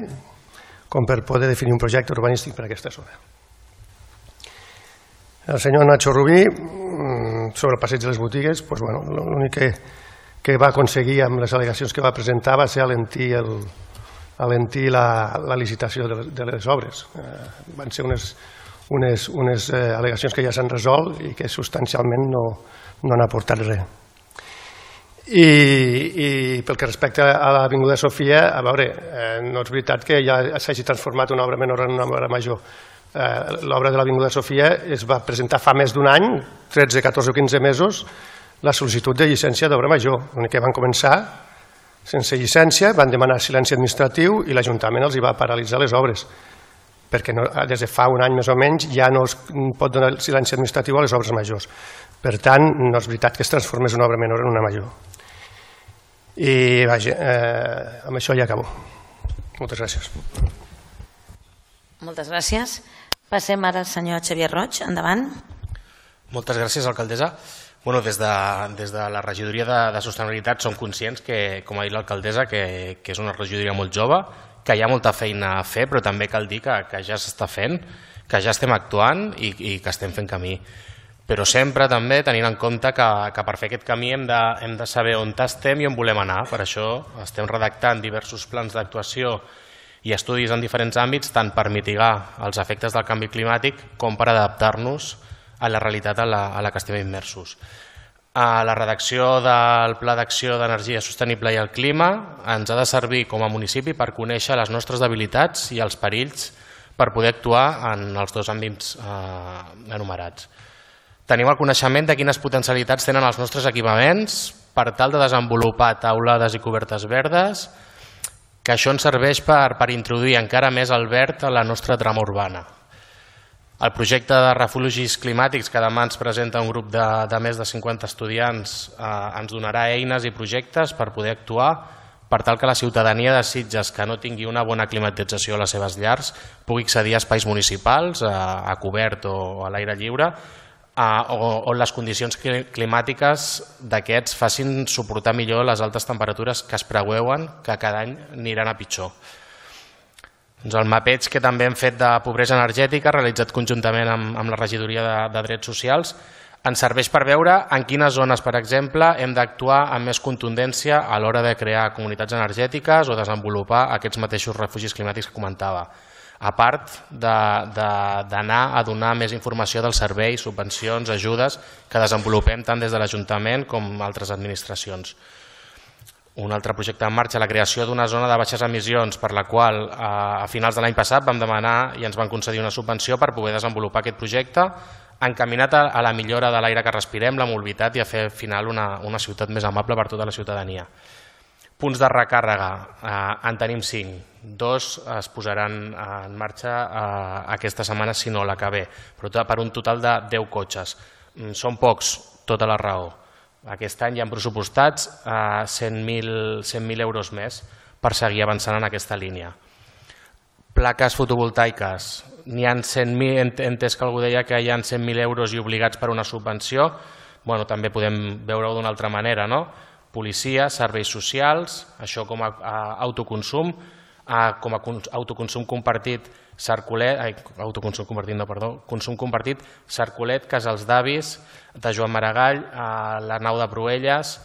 com per poder definir un projecte urbanístic per a aquesta zona. El senyor Nacho Rubí, sobre el passeig de les botigues, l'únic que va aconseguir amb les al·legacions que va presentar va ser alentir la licitació de les obres. Van ser unes al·legacions que ja s'han resolt i que substancialment no han aportat res. I pel que respecta a l'Avinguda Sofia, a veure, no és veritat que ja s'hagi transformat una obra menor en una obra major. L'obra de l'Avinguda Sofia es va presentar fa més d'un any, 13, 14 o 15 mesos, la sol·licitud de llicència d'obra major. L'únic que van començar sense llicència, van demanar silenci administratiu i l'Ajuntament els hi va paralitzar les obres, perquè des de fa un any més o menys ja no es pot donar silenci administratiu a les obres majors. Per tant, no és veritat que es transformés una obra menor en una major. I vaja, amb això ja acabo. Moltes gràcies. Moltes gràcies. Passem ara al senyor Xavier Roig. Endavant. Moltes gràcies, alcaldessa. Des de la regidoria de sostenibilitat som conscients que, com ha dit l'alcaldessa, que és una regidoria molt jove, que hi ha molta feina a fer, però també cal dir que ja s'està fent, que ja estem actuant i que estem fent camí. Però sempre també tenint en compte que per fer aquest camí hem de saber on estem i on volem anar. Per això estem redactant diversos plans d'actuació i estudis en diferents àmbits, tant per mitigar els efectes del canvi climàtic com per adaptar-nos a la realitat a la que estem immersos. La redacció del Pla d'Acció d'Energia Sostenible i el Clima ens ha de servir com a municipi per conèixer les nostres debilitats i els perills per poder actuar en els dos àmbits enumerats. Tenim el coneixement de quines potencialitats tenen els nostres equipaments per tal de desenvolupar taulades i cobertes verdes que això ens serveix per introduir encara més el verd a la nostra trama urbana. El projecte de refugis climàtics que demà ens presenta un grup de més de 50 estudiants ens donarà eines i projectes per poder actuar per tal que la ciutadania de Sitges que no tingui una bona climatització a les seves llars pugui accedir a espais municipals, a cobert o a l'aire lliure, on les condicions climàtiques d'aquests facin suportar millor les altes temperatures que es preveuen que cada any aniran a pitjor. El mapeig que també hem fet de pobresa energètica, realitzat conjuntament amb la Regidoria de Drets Socials, ens serveix per veure en quines zones, per exemple, hem d'actuar amb més contundència a l'hora de crear comunitats energètiques o desenvolupar aquests mateixos refugis climàtics que comentava, a part d'anar a donar més informació dels serveis, subvencions, ajudes que desenvolupem tant des de l'Ajuntament com altres administracions. Un altre projecte en marxa, la creació d'una zona de baixes emissions, per la qual a finals de l'any passat vam demanar i ens van concedir una subvenció per poder desenvolupar aquest projecte encaminat a la millora de l'aire que respirem, la mobilitat i a fer al final una ciutat més amable per tota la ciutadania. Punts de recàrrega, en tenim 5. 2 es posaran en marxa aquesta setmana, si no l'acabé, però per un total de 10 cotxes. Són pocs, tota la raó. Aquest any hi ha pressupostats 100.000 euros més per seguir avançant en aquesta línia. Plaques fotovoltaiques, n'hi ha 100.000, he entès que algú deia que hi ha 100.000 euros i obligats per una subvenció, també podem veure-ho d'una altra manera, no? Policia, serveis socials, això com a autoconsum, consum compartit, consum compartit, Sarcolet, Casals d'Avis, de Joan Maragall, l'Arnau de Proelles,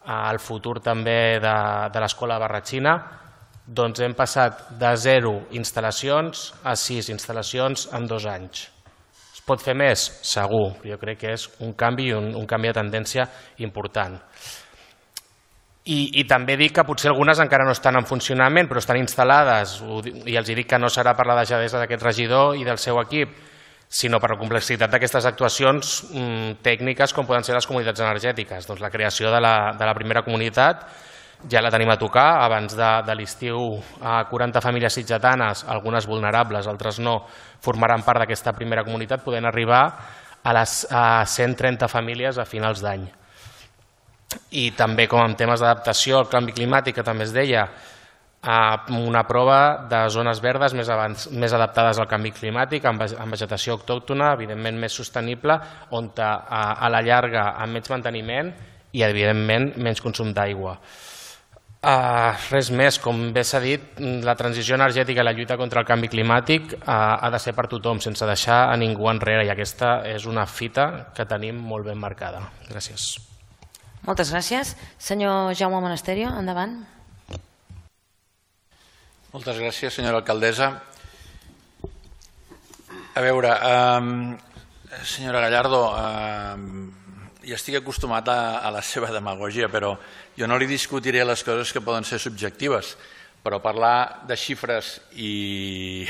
el futur també de l'Escola Barratxina. Doncs hem passat de 0 instal·lacions a 6 instal·lacions en 2 anys. Es pot fer més? Segur. Jo crec que és un canvi de tendència important. I també dic que potser algunes encara no estan en funcionament, però estan instal·lades, i els dic que no serà per la deixadesa d'aquest regidor i del seu equip, sinó per la complexitat d'aquestes actuacions tècniques com poden ser les comunitats energètiques. Doncs la creació de la primera comunitat ja la tenim a tocar. Abans de l'estiu 40 famílies sitgetanes, algunes vulnerables, altres no, formaran part d'aquesta primera comunitat, podent arribar a 130 famílies a finals d'any. I també com en temes d'adaptació al canvi climàtic, que també es deia, una prova de zones verdes més adaptades al canvi climàtic, amb vegetació autòctona, evidentment més sostenible, on a la llarga amb menys manteniment i evidentment menys consum d'aigua. Res més, com bé s'ha dit, la transició energètica i la lluita contra el canvi climàtic ha de ser per tothom, sense deixar a ningú enrere, i aquesta és una fita que tenim molt ben marcada. Gràcies. Moltes gràcies. Senyor Jaume Monasterio, endavant. Moltes gràcies, senyora alcaldessa. A veure, senyora Gallardo, ja estic acostumat a la seva demagògia, però jo no li discutiré les coses que poden ser subjectives, però parlar de xifres i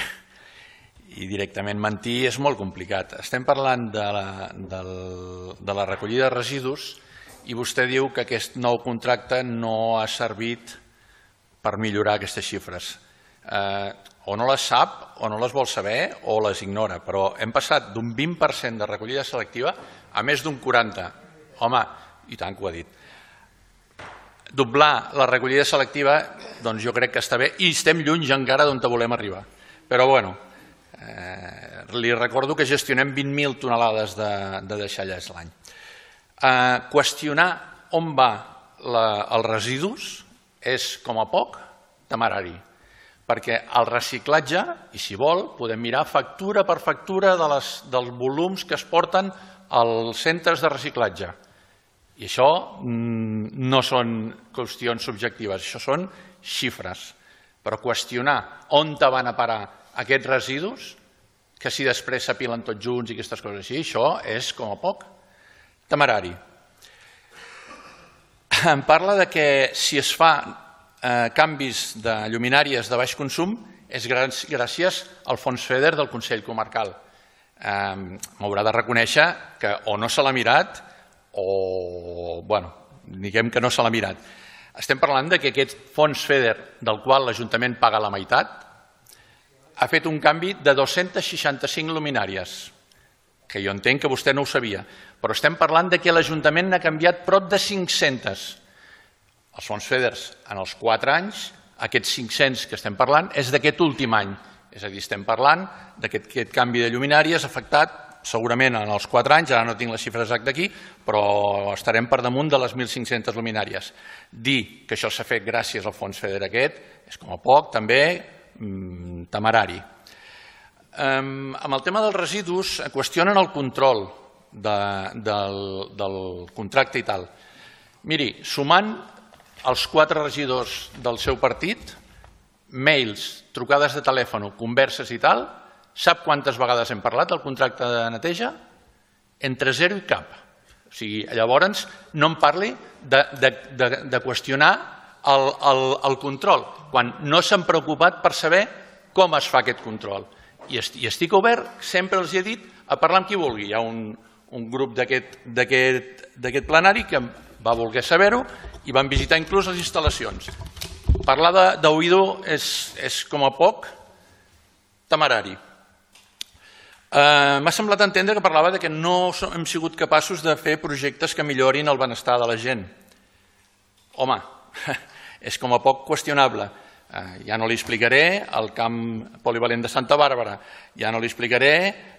directament mentir és molt complicat. Estem parlant de la recollida de residus i vostè diu que aquest nou contracte no ha servit per millorar aquestes xifres. O no les sap, o no les vol saber, o les ignora, però hem passat d'un 20% de recollida selectiva a més d'un 40%. Home, i tant que ho ha dit. Doblar la recollida selectiva, doncs jo crec que està bé, i estem lluny encara d'on volem arribar. Però bueno, li recordo que gestionem 20.000 tonelades de deixalles l'any. Qüestionar on van els residus és, com a poc, temerari, perquè el reciclatge, i si vol, podem mirar factura per factura dels volums que es porten als centres de reciclatge. I això no són qüestions subjectives, això són xifres. Però qüestionar on van a parar aquests residus, que si després s'apilen tots junts i aquestes coses així, això és, com a poc, temerari. Em parla de que si es fa canvis de lluminàries de baix consum és gràcies al fons FEDER del Consell Comarcal. M'haurà de reconèixer que o no se l'ha mirat o, bueno, diguem que no se l'ha mirat. Estem parlant que aquest fons FEDER, del qual l'Ajuntament paga la meitat, ha fet un canvi de 265 luminàries, que jo entenc que vostè no ho sabia, però estem parlant que l'Ajuntament n'ha canviat prop de 500. Els fons FEDER en els 4 anys, aquests 500 que estem parlant, és d'aquest últim any. És a dir, estem parlant d'aquest canvi de lluminàries afectat segurament en els 4 anys, ara no tinc la xifra exacta aquí, però estarem per damunt de les 1.500 luminàries. Dir que això s'ha fet gràcies al fons FEDER aquest és com a poc també temerari. Amb el tema dels residus qüestionen el control del contracte i tal. Miri, sumant els 4 regidors del seu partit, mails, trucades de telèfon, converses i tal, sap quantes vegades hem parlat del contracte de neteja? Entre 0 i cap. O sigui, llavors no em parli de qüestionar el control, quan no s'han preocupat per saber com es fa aquest control. I estic obert, sempre els he dit, a parlar amb qui vulgui. Hi ha un grup d'aquest plenari que va voler saber-ho i van visitar inclús les instal·lacions. Parlar d'oïdo és com a poc temerari. M'ha semblat entendre que parlava que no hem sigut capaços de fer projectes que millorin el benestar de la gent. Home, és com a poc qüestionable. Ja no li explicaré el camp polivalent de Santa Bàrbara, ja no li explicaré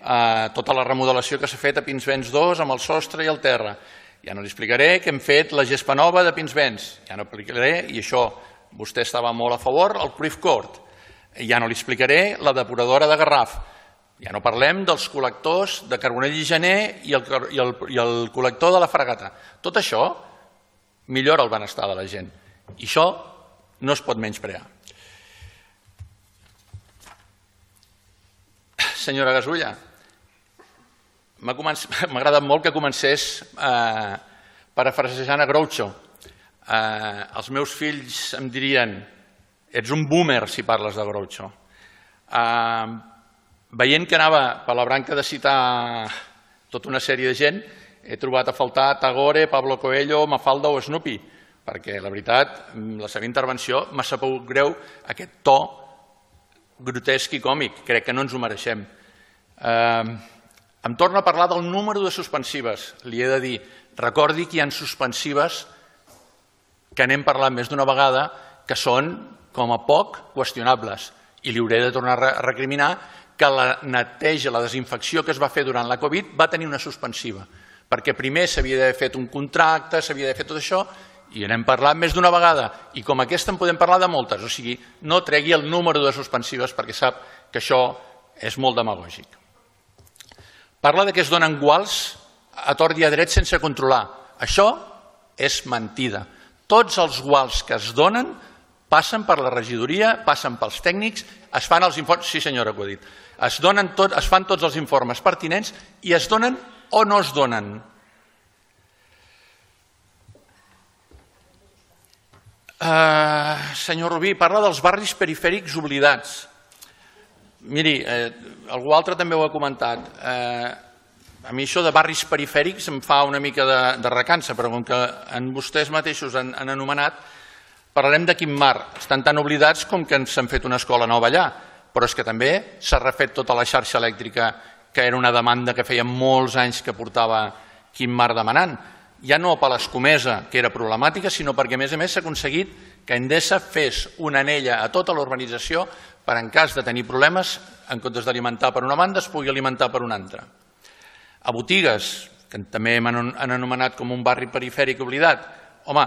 tota la remodelació que s'ha fet a Pinsbens 2 amb el sostre i el terra, ja no li explicaré que hem fet la gespa nova de Pinsbens, ja no explicaré, i això vostè estava molt a favor, el Cruyff Court, ja no li explicaré la depuradora de Garraf, ja no parlem dels col·lectors de Carbonell i Gener i el col·lector de la Fragata. Tot això millora el benestar de la gent i això no es pot menysprear. Senyora Gasulla, m'ha agradat molt que comencés parafrasejant a Groucho. Els meus fills em dirien ets un boomer si parles de Groucho. Veient que anava per la branca de citar tota una sèrie de gent, he trobat a faltar Tagore, Pablo Coelho, Mafalda o Snoopy, perquè la veritat, la seva intervenció m'ha sabut greu aquest to grotesc i còmic, crec que no ens ho mereixem. Em torna a parlar del número de suspensives, li he de dir, recordi que hi ha suspensives que n'hem parlat més d'una vegada que són com a poc qüestionables i li hauré de tornar a recriminar que la neteja, la desinfecció que es va fer durant la Covid va tenir una suspensiva, perquè primer s'havia d'haver fet un contracte, s'havia d'haver fet tot això, i n'hem parlat més d'una vegada, i com aquesta en podem parlar de moltes, o sigui, no tregui el número de suspensives perquè sap que això és molt demagògic. Parla que es donen guals a tort i a dret sense controlar. Això és mentida. Tots els guals que es donen passen per la regidoria, passen pels tècnics, es fan els informes, sí senyora que ho ha dit, es fan tots els informes pertinents i es donen o no es donen. Senyor Rubí, parla dels barris perifèrics oblidats. Miri, algú altre també ho ha comentat. A mi això de barris perifèrics em fa una mica de recança, però com que vostès mateixos han anomenat, parlarem de quin mar. Estan tan oblidats com que s'han fet una escola nova allà, però és que també s'ha refet tota la xarxa elèctrica, que era una demanda que feia molts anys que portava Quim Mar demanant. Ja no per l'escomesa, que era problemàtica, sinó perquè, a més, s'ha aconseguit que Endesa fes una anella a tota la urbanització per, en cas de tenir problemes, en comptes d'alimentar per una banda, es pugui alimentar per una altra. A Botigues, que també m'han anomenat com un barri perifèric oblidat, home,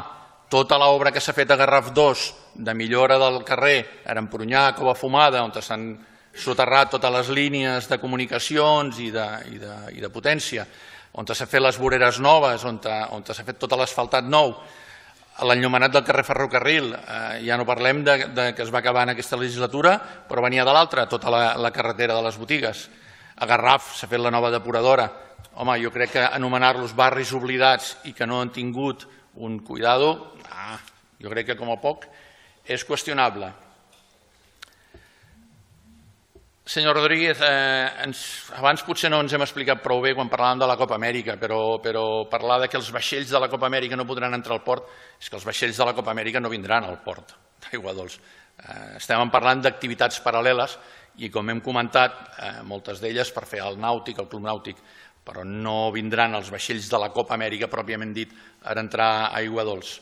tota l'obra que s'ha fet a Garraf 2 de millora del carrer Arampurunyà, Cova Fumada, on s'han soterrat totes les línies de comunicacions i de potència, on s'ha fet les voreres noves, on s'ha fet tot l'asfaltat nou, l'enllumenat del carrer Ferrocarril, ja no parlem que es va acabar en aquesta legislatura, però venia de l'altra, tota la carretera de les Botigues. A Garraf s'ha fet la nova depuradora. Home, jo crec que anomenar-los barris oblidats i que no han tingut un cuidado, jo crec que com a poc és qüestionable. Senyor Rodríguez, abans potser no ens hem explicat prou bé quan parlàvem de la Copa Amèrica, però parlar que els vaixells de la Copa Amèrica no podran entrar al port, és que els vaixells de la Copa Amèrica no vindran al port d'Aiguadols. Estem parlant d'activitats paral·leles i, com hem comentat, moltes d'elles per fer el nàutic, el club nàutic, però no vindran els vaixells de la Copa Amèrica, pròpiament dit, a entrar a Aiguadols.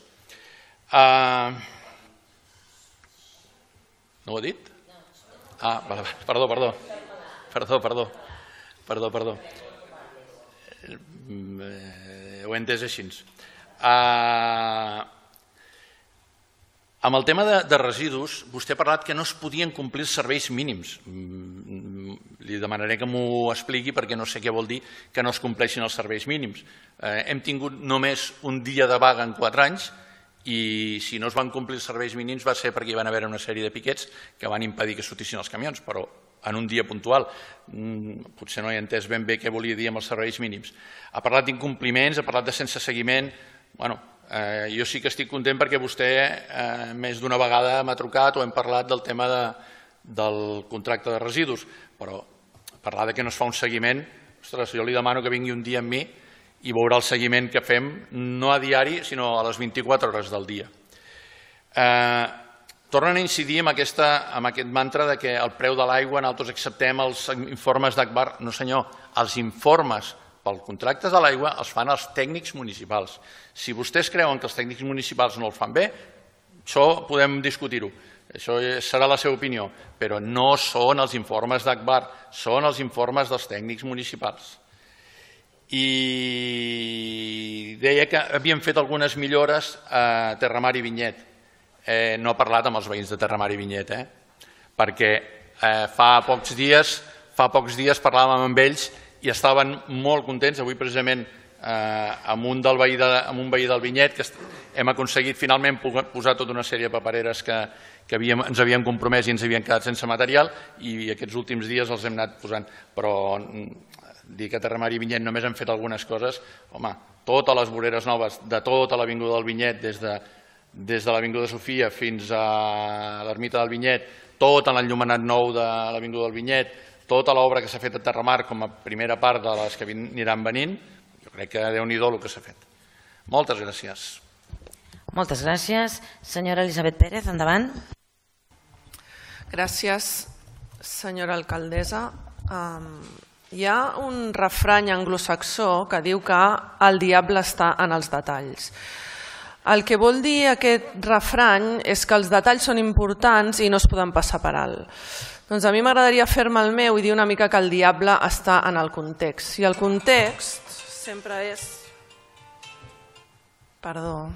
No ho he dit? Perdó. Ho he entès així. Amb el tema de residus, vostè ha parlat que no es podien complir els serveis mínims. Li demanaré que m'ho expliqui perquè no sé què vol dir que no es compleixin els serveis mínims. Hem tingut només un dia de vaga en 4 anys i si no es van complir els serveis mínims va ser perquè hi van haver una sèrie de piquets que van impedir que sortissin els camions, però en un dia puntual. Potser no he entès ben bé què volia dir amb els serveis mínims. Ha parlat d'incompliments, ha parlat de sense seguiment. Jo sí que estic content perquè vostè més d'una vegada m'ha trucat o hem parlat del tema del contracte de residus, però parlar que no es fa un seguiment, ostres, jo li demano que vingui un dia amb mi i veurà el seguiment que fem, no a diari, sinó a les 24 hores del dia. Tornen a incidir en aquest mantra que el preu de l'aigua nosaltres acceptem els informes d'Agbar. No senyor, els informes pel contracte de l'aigua els fan els tècnics municipals. Si vostès creuen que els tècnics municipals no el fan bé, això podem discutir-ho. Això serà la seva opinió, però no són els informes d'Agbar, són els informes dels tècnics municipals. I deia que havien fet algunes millores a Terramar i Vinyet. No he parlat amb els veïns de Terramar i Vinyet, perquè fa pocs dies parlàvem amb ells i estaven molt contents. Avui precisament amb un veí del Vinyet que hem aconseguit finalment posar tota una sèrie de papereres que ens havíem compromès i ens havien quedat sense material i aquests últims dies els hem anat posant. Però dir que a Terramar i Vinyet només han fet algunes coses, home, totes les voreres noves de tota l'avinguda del Vinyet, des de l'avinguda Sofia fins a l'ermita del Vinyet, tot l'enllumenat nou de l'avinguda del Vinyet, tota l'obra que s'ha fet a Terramar com a primera part de les que aniran venint, jo crec que Déu-n'hi-do el que s'ha fet. Moltes gràcies. Moltes gràcies. Senyora Elisabet Pérez, endavant. Gràcies, senyora alcaldessa. Hi ha un refrany anglosaxó que diu que el diable està en els detalls. El que vol dir aquest refrany és que els detalls són importants i no es poden passar per alt. Doncs a mi m'agradaria fer-me el meu i dir una mica que el diable està en el context. I el context sempre és... Perdó.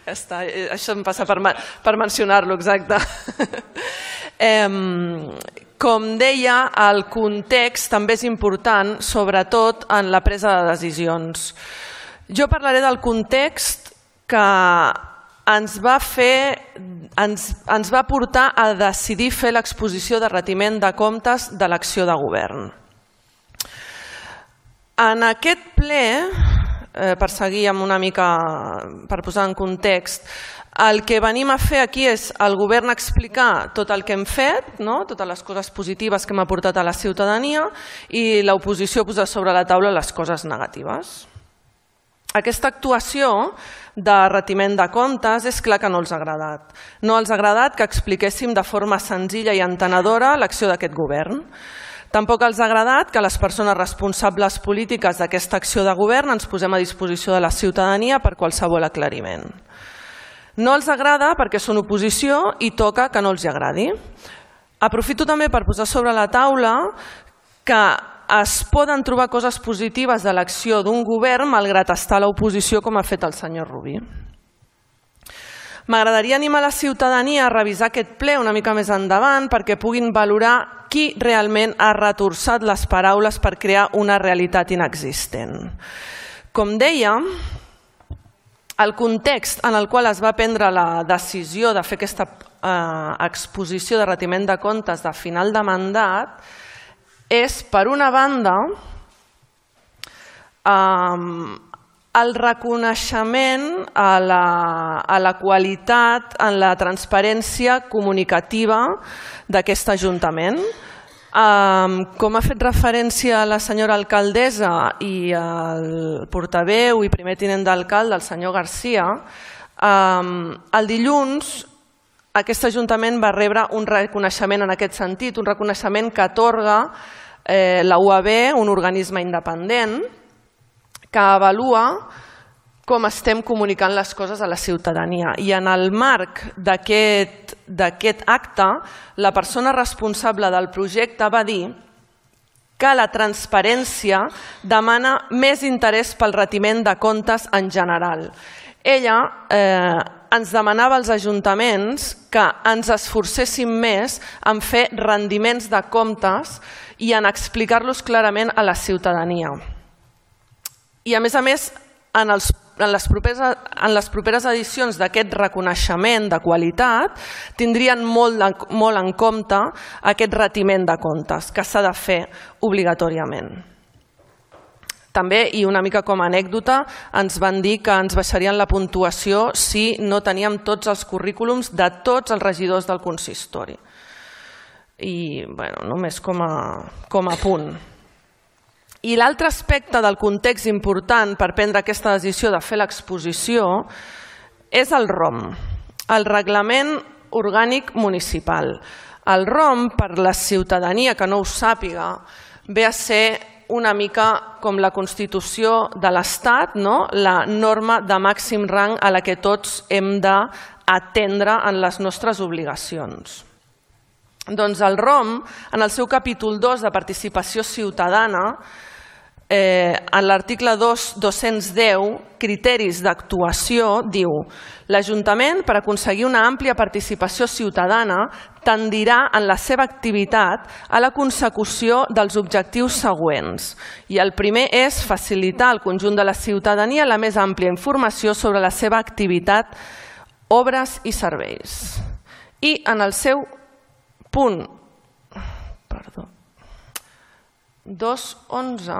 Ja està, això em passa per mencionar-lo, exacte. Com deia, el context també és important, sobretot en la presa de decisions. Jo parlaré del context que ens va portar a decidir fer l'exposició de retiment de comptes de l'acció de govern. En aquest ple, per seguir amb una mica, per posar en context, el que venim a fer aquí és el govern explicar tot el que hem fet, totes les coses positives que hem aportat a la ciutadania i l'oposició posar sobre la taula les coses negatives. Aquesta actuació de retiment de comptes és clar que no els ha agradat. No els ha agradat que expliquéssim de forma senzilla i entenedora l'acció d'aquest govern. Tampoc els ha agradat que les persones responsables polítiques d'aquesta acció de govern ens posem a disposició de la ciutadania per qualsevol aclariment. No els agrada perquè són oposició i toca que no els agradi. Aprofito també per posar sobre la taula que es poden trobar coses positives de l'acció d'un govern malgrat estar a l'oposició com ha fet el senyor Rubí. M'agradaria animar la ciutadania a revisar aquest ple una mica més endavant perquè puguin valorar qui realment ha retorçat les paraules per crear una realitat inexistent. Com deia, el context en el qual es va prendre la decisió de fer aquesta exposició de retiment de comptes de final de mandat és, per una banda, el reconeixement a la qualitat, en la transparència comunicativa d'aquest Ajuntament. Com ha fet referència la senyora alcaldessa i el portaveu i primer tinent d'alcalde, el senyor Garcia, el dilluns aquest Ajuntament va rebre un reconeixement en aquest sentit, un reconeixement que atorga la UAB, un organisme independent, que avalua com estem comunicant les coses a la ciutadania. I en el marc d'aquest acte, la persona responsable del projecte va dir que la transparència demana més interès pel retiment de comptes en general. Ella ens demanava als ajuntaments que ens esforcéssim més en fer rendiments de comptes i en explicar-los clarament a la ciutadania. I a més, en les properes edicions d'aquest reconeixement de qualitat tindrien molt en compte aquest retiment de comptes que s'ha de fer obligatòriament. També, i una mica com a anècdota, ens van dir que ens baixarien la puntuació si no teníem tots els currículums de tots els regidors del consistori. I només com a punt. I l'altre aspecte del context important per prendre aquesta decisió de fer l'exposició és el ROM, el Reglament Orgànic Municipal. El ROM, per la ciutadania que no ho sàpiga, ve a ser una mica com la Constitució de l'Estat, la norma de màxim rang a la que tots hem d'atendre en les nostres obligacions. Doncs el ROM, en el seu capítol 2 de participació ciutadana, en l'article 210, criteris d'actuació, diu: l'Ajuntament, per aconseguir una àmplia participació ciutadana, tendirà en la seva activitat a la consecució dels objectius següents. I el primer és facilitar al conjunt de la ciutadania la més àmplia informació sobre la seva activitat, obres i serveis. I en el seu punt 2.11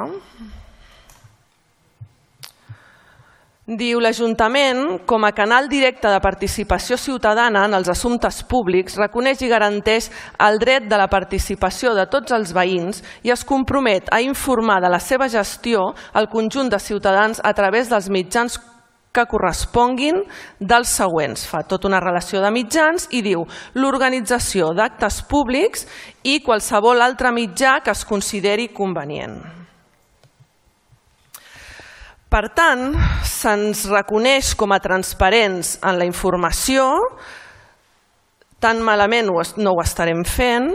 diu: l'Ajuntament, com a canal directe de participació ciutadana en els assumptes públics, reconeix i garanteix el dret de la participació de tots els veïns i es compromet a informar de la seva gestió al conjunt de ciutadans a través dels mitjans que corresponguin dels següents. Fa tota una relació de mitjans i diu: l'organització d'actes públics i qualsevol altre mitjà que es consideri convenient. Per tant, se'ns reconeix com a transparents en la informació, tan malament no ho estarem fent,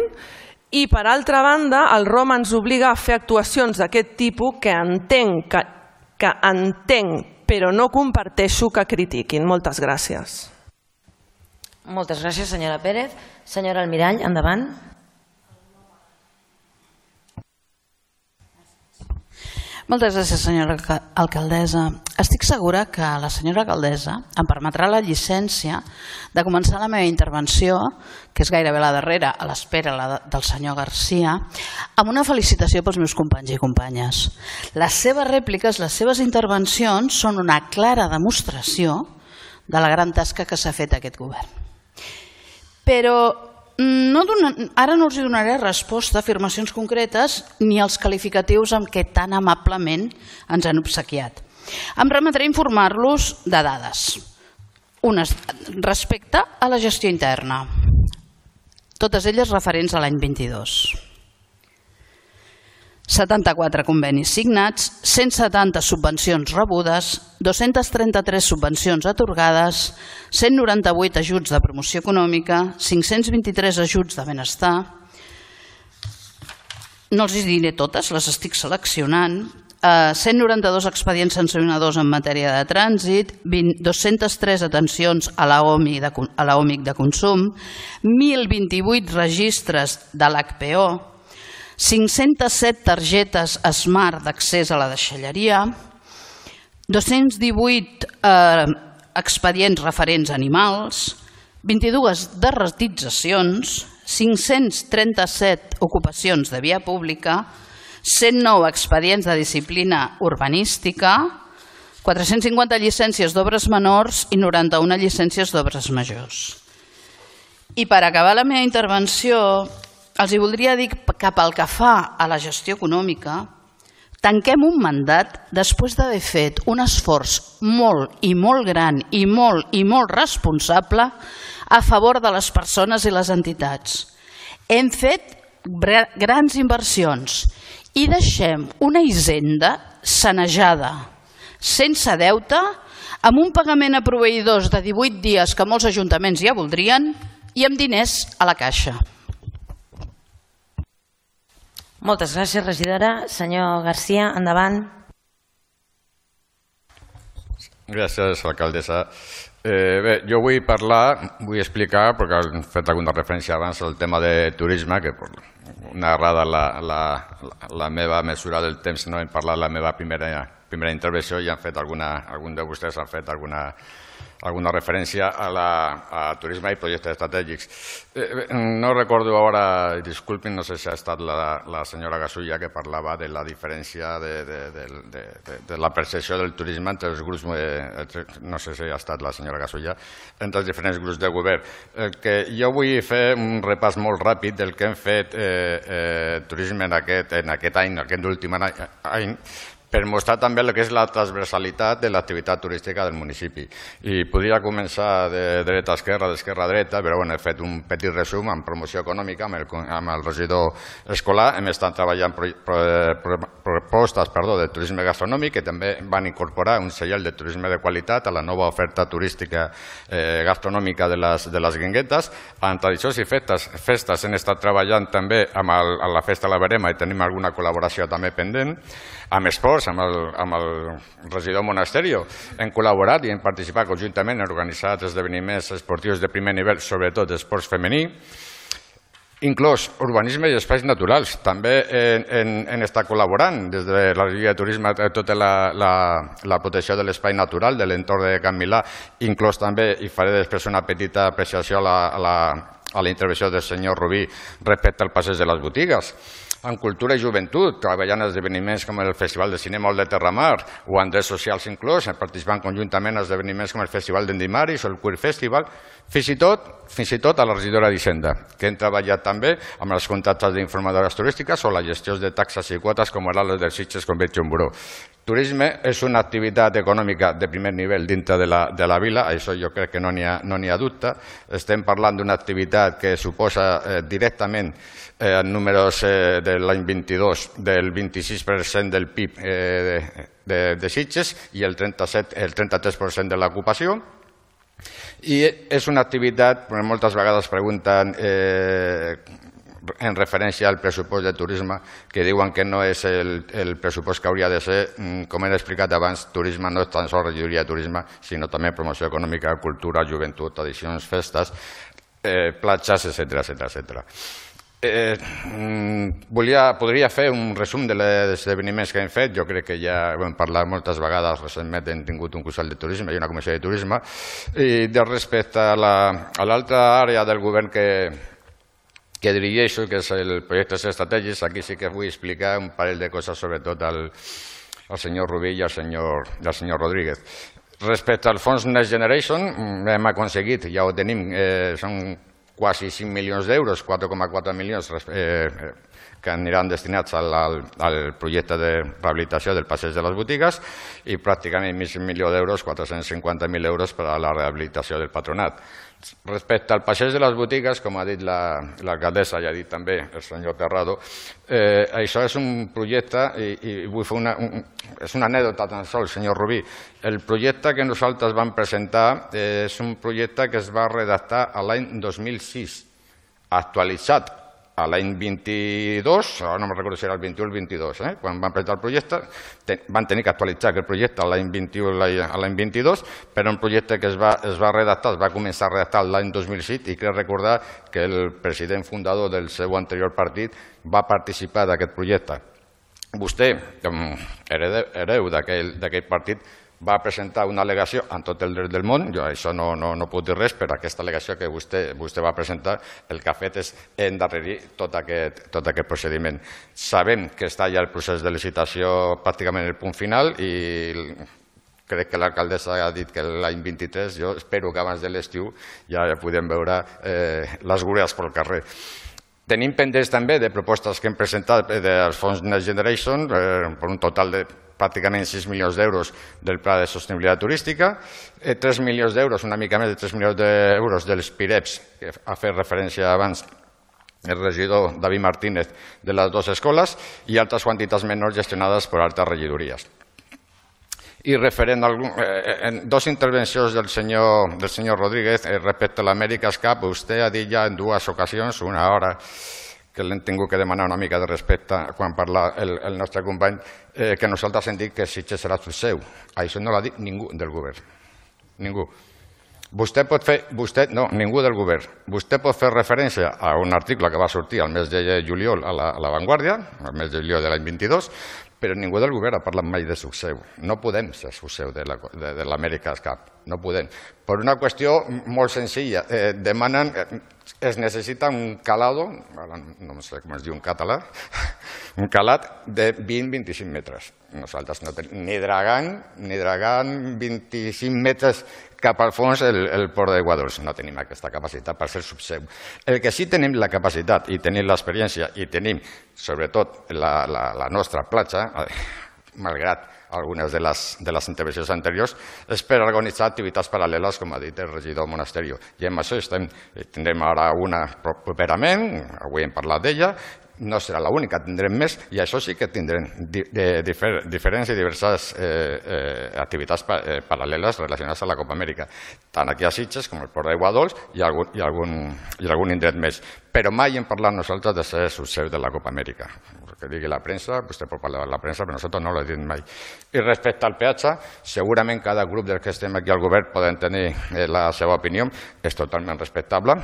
i per altra banda el ROM ens obliga a fer actuacions d'aquest tipus que entenc però no comparteixo que critiquin. Moltes gràcies. Moltes gràcies, senyora Pérez. Senyora Almirall, endavant. Moltes gràcies, senyora alcaldessa. Estic segura que la senyora alcaldessa em permetrà la llicència de començar la meva intervenció, que és gairebé la darrera, a l'espera del senyor Garcia, amb una felicitació pels meus companys i companyes. Les seves rèpliques, les seves intervencions són una clara demostració de la gran tasca que s'ha fet aquest govern. Però ara no els donaré resposta a afirmacions concretes ni als qualificatius amb què tan amablement ens han obsequiat. Em remetré a informar-los de dades. Unes respecte a la gestió interna, totes elles referents a l'any 22. 74 convenis signats, 170 subvencions rebudes, 233 subvencions atorgades, 198 ajuts de promoció econòmica, 523 ajuts de benestar. No els diré totes, les estic seleccionant. 192 expedients sancionadors en matèria de trànsit, 203 atencions a l'OMIC de consum, 1.028 registres de l'HPO, 507 targetes Smart d'accés a la deixalleria, 218 expedients referents a animals, 22 derratitzacions, 537 ocupacions de via pública, 109 expedients de disciplina urbanística, 450 llicències d'obres menors i 91 llicències d'obres majors. I per acabar la meva intervenció, els voldria dir que pel que fa a la gestió econòmica, tanquem un mandat després d'haver fet un esforç molt i molt gran i molt responsable a favor de les persones i les entitats. Hem fet grans inversions i deixem una hisenda sanejada, sense deute, amb un pagament a proveïdors de 18 dies que molts ajuntaments ja voldrien i amb diners a la caixa. Moltes gràcies, regidora. Senyor Garcia, endavant. Gràcies, alcaldessa. Bé, jo vull vull explicar, perquè han fet alguna referència abans al tema de turisme, que narrada la meva mesura del temps, no hem parlat la meva primera intervenció i algun de vostès han fet alguna referència a turisme i projectes estratègics. No recordo ara, disculpin, no sé si ha estat la senyora Gasulla que parlava de la diferència de la percepció del turisme entre els grups, no sé si ha estat la senyora Gasulla, entre els diferents grups de govern. Que jo vull fer un repàs molt ràpid del que hem fet turisme en aquest any, en aquest últim any, per mostrar també el que és la transversalitat de l'activitat turística del municipi. I podria començar de dreta a esquerra, d'esquerra a dreta, però he fet un petit resum amb promoció econòmica amb el regidor escolar. Hem estat treballant propostes de turisme gastronòmic que també van incorporar un segell de turisme de qualitat a la nova oferta turística gastronòmica de les Guinguetes. En tradicions i festes hem estat treballant també amb la Festa de la Verema i tenim alguna col·laboració també pendent. Amb esports, amb el regidor Monasterio, hem col·laborat i hem participat conjuntament en organitzats esdeveniments esportius de primer nivell, sobretot esports femení, inclús urbanisme i espais naturals. També hem estat col·laborant des de la regidoria de turisme tota la protecció de l'espai natural de l'entorn de Can Milà, inclús també, i faré després una petita apreciació a la intervenció del senyor Rubí respecte al passeig de les botigues. En cultura i joventut, treballant en esdeveniments com el Festival de Cinema Olot de Terramar o en drets socials inclús, participant conjuntament en esdeveniments com el Festival d'Endimaris o el Queer Festival, fins i tot a la regidora d'Hisenda, que hem treballat també amb els contractes d'informadores turístiques o la gestió de taxes i quotes com era les del Sitges Convention Bureau. Turisme és una activitat econòmica de primer nivell dintre de la vila, això jo crec que no n'hi ha dubte. Estem parlant d'una activitat que suposa directament en números de l'any 22 del 26% del PIB de Sitges i el 33% de l'ocupació. I és una activitat, moltes vegades pregunten en referència al pressupost de turisme, que diuen que no és el pressupost que hauria de ser. Com he explicat abans, turisme no és tan sols regidoria de turisme, sinó també promoció econòmica, cultura, joventut, tradicions, festes, platges, etc. Podria fer un resum dels esdeveniments que hem fet. Jo crec que ja ho hem parlat moltes vegades. Recentment hem tingut un Consell de Turisme i una Comissió de Turisme. I respecte a l'altra àrea del govern que dirigeixo, que és el projectes estratègics, aquí sí que vull explicar un parell de coses, sobretot al senyor Rubí i al senyor Rodríguez. Respecte al fons Next Generation, hem aconseguit, ja ho tenim, són quasi 5 milions d'euros, 4,4 milions que aniran destinats al projecte de rehabilitació del passeig de les botigues i pràcticament mig milió d'euros, 450.000 euros per a la rehabilitació del patronat. Respecte al passeig de les botigues, com ha dit l'alcaldessa i ha dit també el senyor Terrado, això és un projecte, i vull fer és una anècdota tan sols, senyor Rubí. El projecte que nosaltres vam presentar és un projecte que es va redactar l'any 2006, actualitzat a l'any 22, no me'n recordo si era el 21 o el 22, quan van presentar el projecte, van tenir que actualitzar aquest projecte l'any 21 i l'any 22, però un projecte que es va redactar, es va començar a redactar l'any 2006, i crec recordar que el president fundador del seu anterior partit va participar d'aquest projecte. Vostè, hereu d'aquell partit, va presentar una al·legació amb tot el dret del món. Jo això no puc dir res, però aquesta al·legació que vostè va presentar el que ha fet és endarrerir tot aquest procediment. Sabem que està ja el procés de licitació pràcticament en el punt final i crec que l'alcaldessa ha dit que l'any 23, jo espero que abans de l'estiu ja podem veure les grures pel carrer. Tenim pendents també de propostes que hem presentat dels fons Next Generation per un total de pràcticament 6 milions d'euros del Pla de Sostenibilitat Turística, 3 milions d'euros, una mica més de 3 milions d'euros dels PIREPs, que ha fet referència abans el regidor David Martínez de les dues escoles, i altres quantitats menors gestionades per altres regidories. I referent en dues intervencions del senyor Rodríguez respecte a l'America's Cup, vostè ha dit ja en dues ocasions, una hora que l'hem tingut que demanar una mica de respecte quan parla el nostre company, que nosaltres hem dit que Sitges serà el seu. Això no l'ha dit ningú del govern. Ningú. Vostè pot fer... No, ningú del govern. Vostè pot fer referència a un article que va sortir al mes de juliol a La Vanguardia, al mes de juliol de l'any 22, però ningú del govern ha parlat mai de succeu. No podem ser succeu de l'America's Cup. No podem. Per una qüestió molt senzilla. Demanen... Es necessita un calado, no sé com es diu en català, un calat de 20-25 metres. Nosaltres no tenim ni dragant 25 metres cap al fons el port d'Aiguadols. No tenim aquesta capacitat per ser subseu. El que sí tenim la capacitat i tenim l'experiència i tenim, sobretot, la nostra platja, malgrat algunes de les intervencions anteriors, és per organitzar activitats paral·leles, com ha dit el regidor Monasterio. I amb això tindrem ara una properament, avui hem parlat d'ella, no serà l'única, tindrem més, i això sí que tindrem diferents i diverses activitats paral·leles relacionades a la Copa Amèrica, tant aquí a Sitges com al Port d'Aiguadols i algun indret més. Però mai hem parlat nosaltres de ser subseu de la Copa Amèrica. Que digui la premsa, vostè pot parlar de la premsa, però nosaltres no l'hem dit mai. I respecte al peatge, segurament cada grup dels que estem aquí al govern poden tenir la seva opinió, és totalment respectable,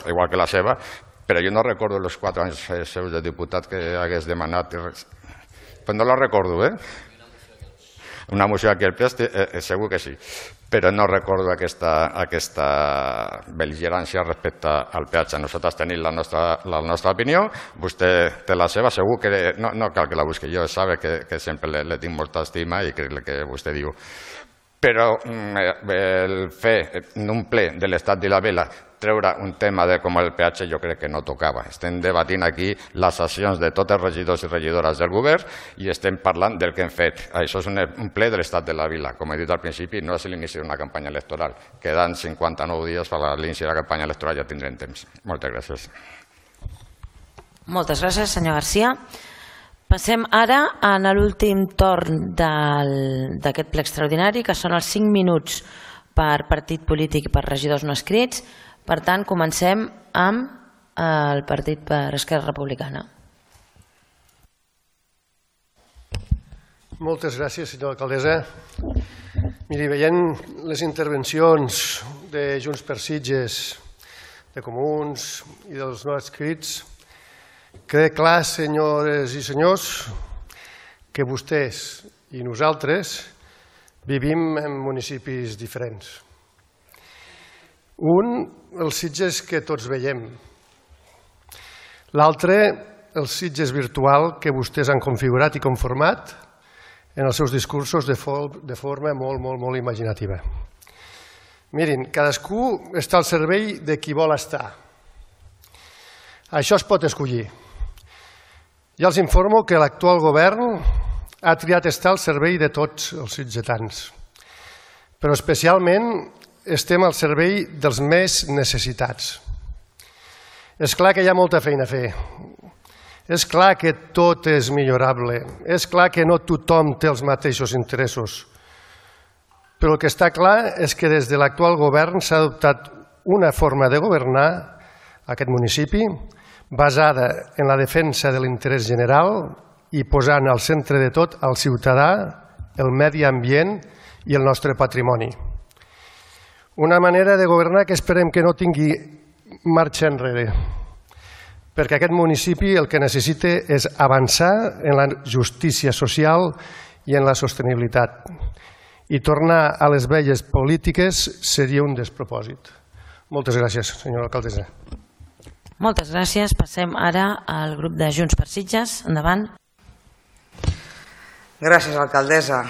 igual que la seva, però jo no recordo els 4 anys seus de diputat que hagués demanat, però no la recordo, una moció aquí al ple, segur que sí, però no recordo aquesta bel·ligerància respecte al peatge. Nosaltres tenim la nostra opinió, vostè té la seva, segur que no cal que la busqui, jo sabe que sempre le tinc molta estima i crec que vostè diu. Però el fer en un ple de l'estat de la vela treure un tema com el peatge jo crec que no tocava. Estem debatint aquí les sessions de tots els regidors i regidores del govern i estem parlant del que hem fet. Això és un ple de l'estat de la vila. Com he dit al principi, no és l'inici d'una campanya electoral. Queden 59 dies per a l'inici de la campanya electoral, ja tindrem temps. Moltes gràcies. Moltes gràcies, senyor Garcia. Passem ara a l'últim torn d'aquest ple extraordinari, que són els 5 minuts per partit polític i per regidors no escrits. Per tant, comencem amb el partit per Esquerra Republicana. Moltes gràcies, senyora alcaldessa. Miri, veient les intervencions de Junts per Sitges, de Comuns i dels no adscrits, queda clar, senyores i senyors, que vostès i nosaltres vivim en municipis diferents. Un, el Sitges que tots veiem. L'altre, el Sitges virtual que vostès han configurat i conformat en els seus discursos de forma molt imaginativa. Mirin, cadascú està al servei de qui vol estar. Això es pot escollir. Ja els informo que l'actual govern ha triat estar al servei de tots els sitgetans, però especialment estem al servei dels més necessitats. És clar que hi ha molta feina a fer. És clar que tot és millorable. És clar que no tothom té els mateixos interessos. Però el que està clar és que des de l'actual govern s'ha adoptat una forma de governar aquest municipi basada en la defensa de l'interès general i posant al centre de tot el ciutadà, el medi ambient i el nostre patrimoni. Una manera de governar que esperem que no tingui marxa enrere, perquè aquest municipi el que necessita és avançar en la justícia social i en la sostenibilitat. I tornar a les velles polítiques seria un despropòsit. Moltes gràcies, senyora alcaldessa. Moltes gràcies. Passem ara al grup de Junts per Sitges. Endavant. Gràcies, alcaldessa.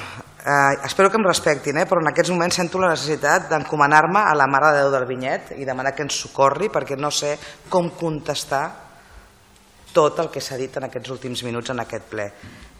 espero que em respectin, però en aquests moments sento la necessitat d'encomanar-me a la Mare de Déu del Vinyet i demanar que ens socorri perquè no sé com contestar tot el que s'ha dit en aquests últims minuts en aquest ple.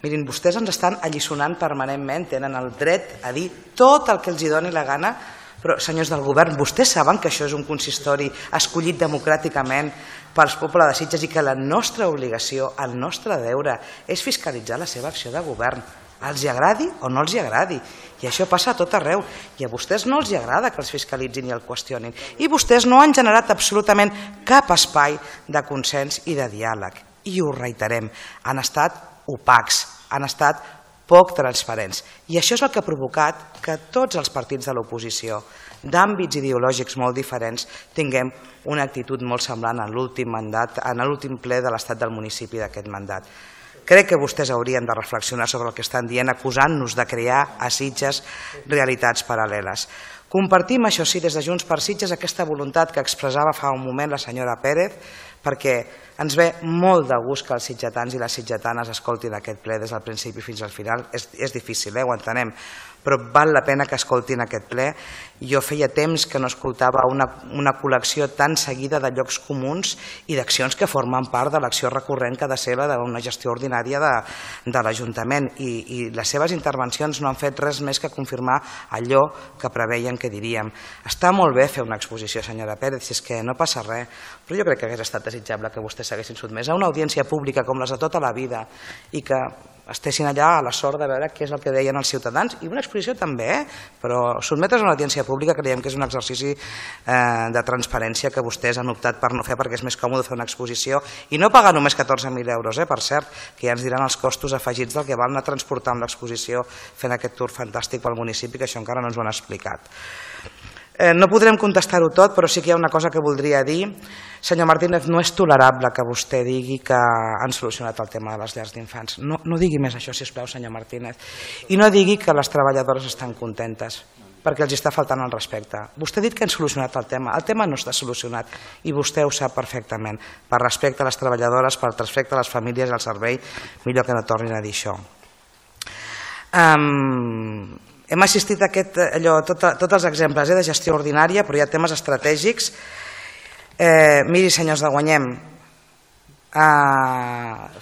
Mirin, vostès ens estan alliçonant permanentment, tenen el dret a dir tot el que els doni la gana, però senyors del govern, vostès saben que això és un consistori escollit democràticament pel poble de Sitges i que la nostra obligació, el nostre deure, és fiscalitzar la seva acció de govern. Els hi agradi o no els hi agradi. I això passa a tot arreu. I a vostès no els hi agrada que els fiscalitzin i el qüestionin. I vostès no han generat absolutament cap espai de consens i de diàleg. I ho reiterem, han estat opacs, han estat poc transparents. I això és el que ha provocat que tots els partits de l'oposició, d'àmbits ideològics molt diferents, tinguem una actitud molt semblant en l'últim mandat, en l'últim ple de l'estat del municipi d'aquest mandat. Crec que vostès haurien de reflexionar sobre el que estan dient, acusant-nos de crear a Sitges realitats paral·leles. Compartim, això sí, des de Junts per Sitges, aquesta voluntat que expressava fa un moment la senyora Pérez, perquè ens ve molt de gust que els sitgetans i les sitgetanes escoltin aquest ple des del principi fins al final. És difícil, ho entenem, però val la pena que escoltin aquest ple. Jo feia temps que no escoltava una col·lecció tan seguida de llocs comuns i d'accions que formen part de l'acció recurrent que ha de ser la d'una gestió ordinària de l'Ajuntament. I les seves intervencions no han fet res més que confirmar allò que preveien que diríem. Està molt bé fer una exposició, senyora Pérez, si és que no passa res, però jo crec que hagués estat desitjable que vostès s'haguessin sotmès a una audiència pública com les de tota la vida i que estessin allà a la sort de veure què és el que deien els ciutadans, i una exposició també, però sotmetre's a una audiència pública creiem que és un exercici de transparència que vostès han optat per no fer perquè és més còmode fer una exposició i no pagar només 14.000 euros, per cert, que ja ens diran els costos afegits del que val anar transportant l'exposició fent aquest tour fantàstic pel municipi, que això encara no ens ho han explicat. No podrem contestar-ho tot, però sí que hi ha una cosa que voldria dir. Senyor Martínez, no és tolerable que vostè digui que han solucionat el tema de les llars d'infants. No digui més això, sisplau, senyor Martínez. I no digui que les treballadores estan contentes, perquè els està faltant el respecte. Vostè ha dit que han solucionat el tema no està solucionat i vostè ho sap perfectament. Per respecte a les treballadores, per respecte a les famílies i al servei, millor que no tornin a dir això. Hem assistit a tots els exemples de gestió ordinària, però hi ha temes estratègics. Miri, senyors de Guanyem,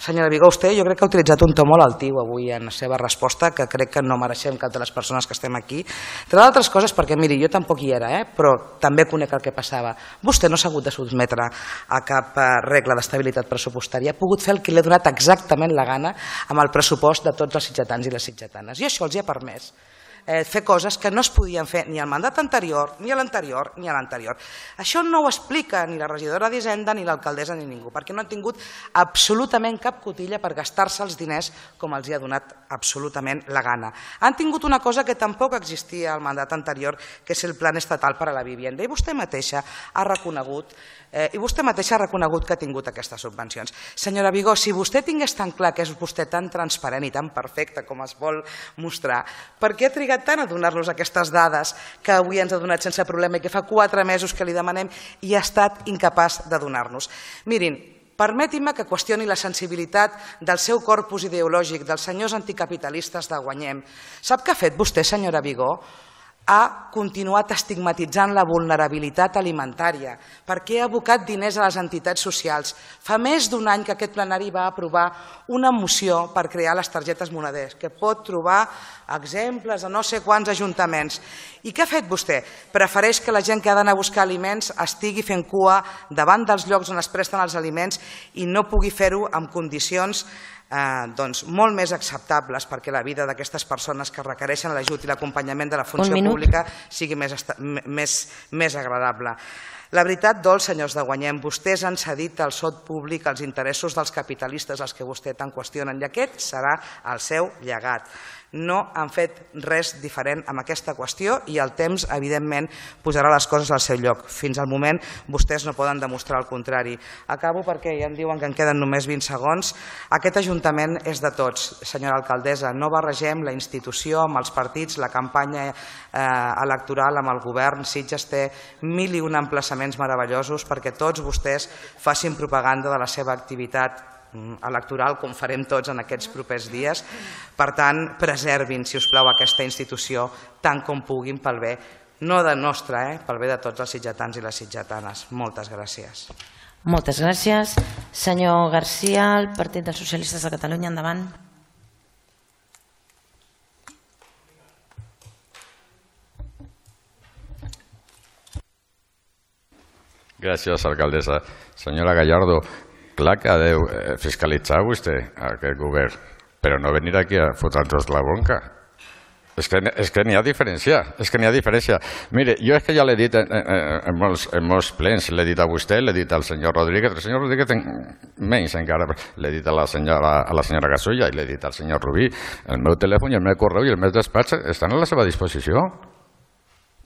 senyora Vigó, vostè jo crec que ha utilitzat un to molt altiu avui en la seva resposta, que crec que no mereixem cap de les persones que estem aquí. Entre d'altres coses, perquè miri, jo tampoc hi era, però també conec el que passava. Vostè no s'ha hagut de sotmetre a cap regla d'estabilitat pressupostària, ha pogut fer el que li ha donat exactament la gana amb el pressupost de tots els sitgetans i les sitgetanes. I això els hi ha permès fer coses que no es podien fer ni al mandat anterior, ni a l'anterior, ni a l'anterior. Això no ho explica ni la regidora d'Hisenda, ni l'alcaldessa, ni ningú, perquè no han tingut absolutament cap cotilla per gastar-se els diners com els hi ha donat absolutament la gana. Han tingut una cosa que tampoc existia al mandat anterior, que és el Plan Estatal per a la Vivienda, i vostè mateixa ha reconegut que ha tingut aquestes subvencions. Senyora Vigó, si vostè tingués tan clar que és vostè tan transparent i tan perfecte com es vol mostrar, per què ha trigat tant a donar-nos aquestes dades que avui ens ha donat sense problema i que fa 4 mesos que li demanem i ha estat incapaç de donar-nos? Mirin, permetin-me que qüestioni la sensibilitat del seu corpus ideològic, dels senyors anticapitalistes de Guanyem. Sap què ha fet vostè, senyora Vigó? Ha continuat estigmatitzant la vulnerabilitat alimentària perquè ha abocat diners a les entitats socials. Fa més d'un any que aquest plenari va aprovar una moció per crear les targetes moneders, que pot trobar exemples a no sé quants ajuntaments. I què ha fet vostè? Prefereix que la gent que ha d'anar a buscar aliments estigui fent cua davant dels llocs on es presten els aliments i no pugui fer-ho en condicions molt més acceptables perquè la vida d'aquestes persones que requereixen l'ajut i l'acompanyament de la funció pública sigui més agradable. La veritat dol, senyors de Guanyem, vostès han cedit el sot públic als interessos dels capitalistes als que vostè tant qüestionen i aquest serà el seu llegat. No han fet res diferent amb aquesta qüestió i el temps, evidentment, posarà les coses al seu lloc. Fins al moment vostès no poden demostrar el contrari. Acabo perquè ja em diuen que em queden només 20 segons. Aquest Ajuntament és de tots, senyora alcaldessa. No barregem la institució amb els partits, la campanya electoral amb el govern. Sitges té 1001 emplaçaments meravellosos perquè tots vostès facin propaganda de la seva activitat electoral, com farem tots en aquests propers dies. Per tant, preservin, si us plau, aquesta institució tant com puguin pel bé, no de nostre, pel bé de tots els sitgetans i les sitgetanes. Moltes gràcies. Moltes gràcies. Senyor Garcia, el Partit dels Socialistes de Catalunya, endavant. Gràcies, alcaldessa. Senyora Gallardo, clar que ha de fiscalitzar vostè aquest govern, però no venir aquí a fotre'ns la bronca. És que n'hi ha diferència, Mire, jo és que ja l'he dit en molts plens, l'he dit a vostè, l'he dit al senyor Rodríguez, el senyor Rodríguez menys encara, l'he dit a la senyora Gasulla i l'he dit al senyor Rubí. El meu telèfon i el meu correu i el meu despatx estan a la seva disposició.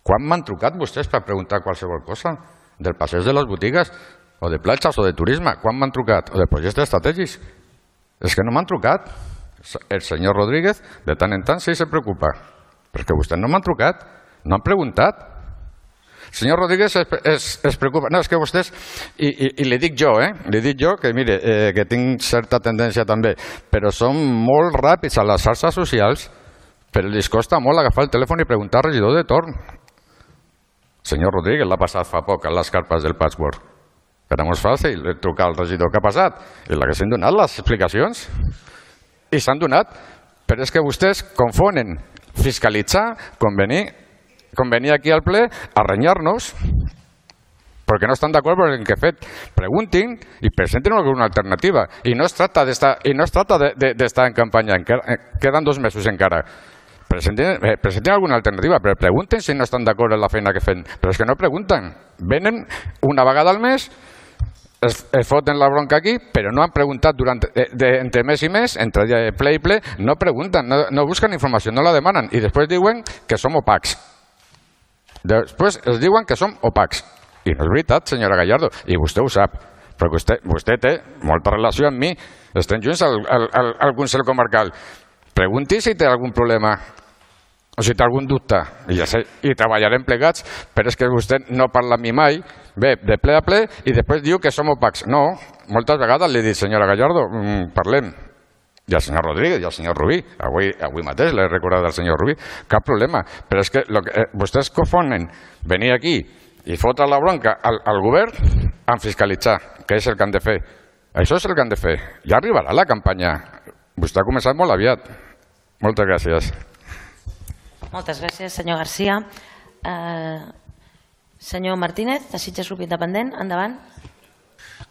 Quan m'han trucat vostès per preguntar qualsevol cosa? Del passeig de les botigues, o de platges, o de turisme? Quan m'han trucat? O de projectes estratègics? És que no m'han trucat. El senyor Rodríguez, de tant en tant, sí se preocupa. Però és que vostès no m'han trucat, no han preguntat. El senyor Rodríguez es preocupa. No, és que vostès, i li dic jo, que mire, que tinc certa tendència també, però són molt ràpids a les xarxes socials, però els costa molt agafar el telèfon i preguntar al regidor de torn. El senyor Rodríguez l'ha passat fa poc a les carpes del patchwork. Era molt fàcil trucar al regidor que ha passat i l'haguessin donat les explicacions. I s'han donat, però és que vostès confonen fiscalitzar com venir aquí al ple a renyar-nos perquè no estan d'acord amb el que he fet. Preguntin i presentin alguna alternativa. I no es tracta d'estar en campanya, queden 2 mesos encara. Presentin alguna alternativa, però pregunten si no estan d'acord amb la feina que fem. Però és que no pregunten. Venen una vegada al mes, es foten la bronca aquí, però no han preguntat entre mes i mes, entre ple i ple, no pregunten, no busquen informació, no la demanen, i després diuen que som opacs. Després es diuen que som opacs. I no és veritat, senyora Gallardo, i vostè ho sap, perquè vostè té molta relació amb mi, estem junts al Consell Comarcal. Pregunti si té algun problema o si té algun dubte, i treballarem plegats, però és que vostè no parla amb mi mai, ve de ple a ple i després diu que som opacs. No, moltes vegades li he dit, senyora Gallardo, parlem. I el senyor Rodríguez i el senyor Rubí, avui mateix l'he recordat del senyor Rubí, cap problema, però és que vostès confonen venir aquí i fotre la bronca al govern amb fiscalitzar, que és el que han de fer. Això és el que han de fer. Ja arribarà la campanya. Vostè ha començat molt aviat. Moltes gràcies. Moltes gràcies, senyor Garcia. Senyor Martínez, de Sitges Grup Independent, endavant.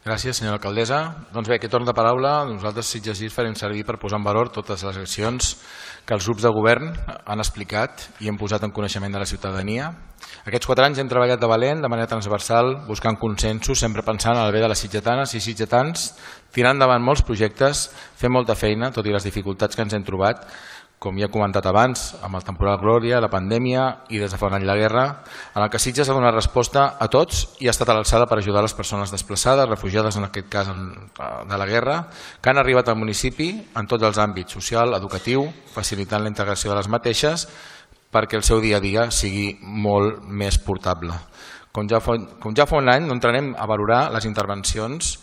Gràcies, senyora alcaldessa. Doncs bé, aquest torn de paraula nosaltres Sitges GIR farem servir per posar en valor totes les accions que els grups de govern han explicat i hem posat en coneixement de la ciutadania. Aquests 4 anys hem treballat de valent, de manera transversal, buscant consensos, sempre pensant en el bé de les sitgetanes i sitgetans, tirant endavant molts projectes, fent molta feina, tot i les dificultats que ens hem trobat, com ja he comentat abans, amb el temporal Glòria, la pandèmia i des de fa un any la guerra, en el que Sitges ha donat resposta a tots i ha estat a l'alçada per ajudar les persones desplaçades, refugiades en aquest cas de la guerra, que han arribat al municipi en tots els àmbits, social, educatiu, facilitant la integració de les mateixes perquè el seu dia a dia sigui molt més portable. Com ja fa un any, no entrarem a valorar les intervencions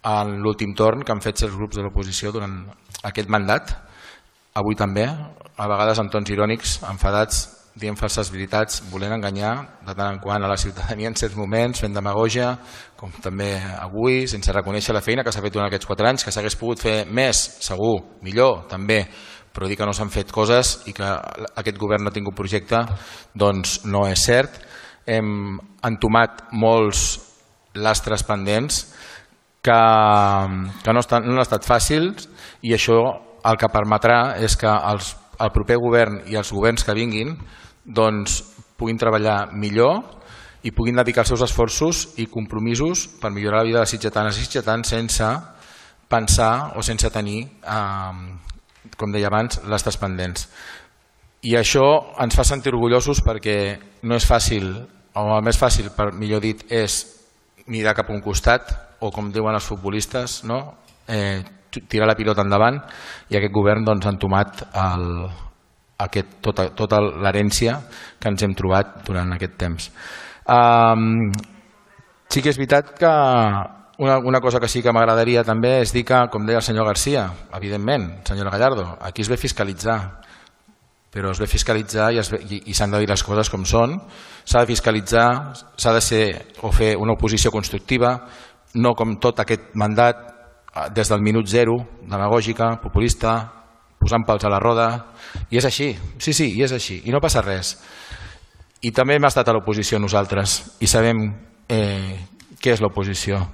en l'últim torn que han fet els grups de l'oposició durant aquest mandat. Avui també, a vegades amb tons irònics, enfadats, dient falses veritats, volent enganyar de tant en quant a la ciutadania en certs moments, fent demagògia, com també avui, sense reconèixer la feina que s'ha fet durant aquests 4 anys, que s'hagués pogut fer més, segur, millor, també, però dir que no s'han fet coses i que aquest govern no ha tingut projecte, doncs no és cert. Hem entomat molts lastres pendents que no han estat fàcils i això el que permetrà és que el proper govern i els governs que vinguin puguin treballar millor i puguin dedicar els seus esforços i compromisos per millorar la vida de les sitgetanes i sitgetans sense pensar o sense tenir, com deia abans, lastres pendents. I això ens fa sentir orgullosos perquè no és fàcil, o el més fàcil, millor dit, és mirar cap a un costat o, com diuen els futbolistes, tirar la pilota endavant, i aquest govern ha entomat tota l'herència que ens hem trobat durant aquest temps. Sí que és veritat que Una cosa que sí que m'agradaria també és dir que, com deia el senyor Garcia, evidentment, senyora Gallardo, aquí es ve fiscalitzar, però es ve fiscalitzar i s'han de dir les coses com són. S'ha de fiscalitzar, s'ha de ser o fer una oposició constructiva, no com tot aquest mandat des del minut zero, demagògica, populista, posant pals a la roda, i és així, sí, i és així, i no passa res. I també hem estat a l'oposició nosaltres i sabem què és l'oposició.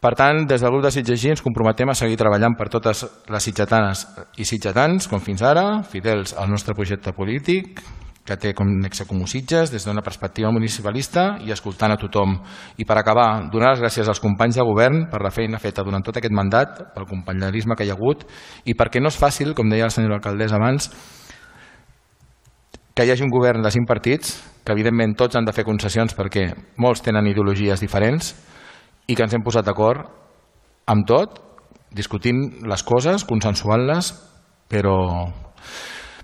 Per tant, des del grup de Sitges ens comprometem a seguir treballant per totes les sitgetanes i sitgetans, com fins ara, fidels al nostre projecte polític, que té com nexe comú Sitges, des d'una perspectiva municipalista i escoltant a tothom. I per acabar, donar les gràcies als companys de govern per la feina feta durant tot aquest mandat, pel companyerisme que hi ha hagut, i perquè no és fàcil, com deia la senyora alcaldessa abans, que hi hagi un govern de 5 partits, que evidentment tots han de fer concessions perquè molts tenen ideologies diferents, i que ens hem posat d'acord amb tot, discutint les coses, consensuant-les, però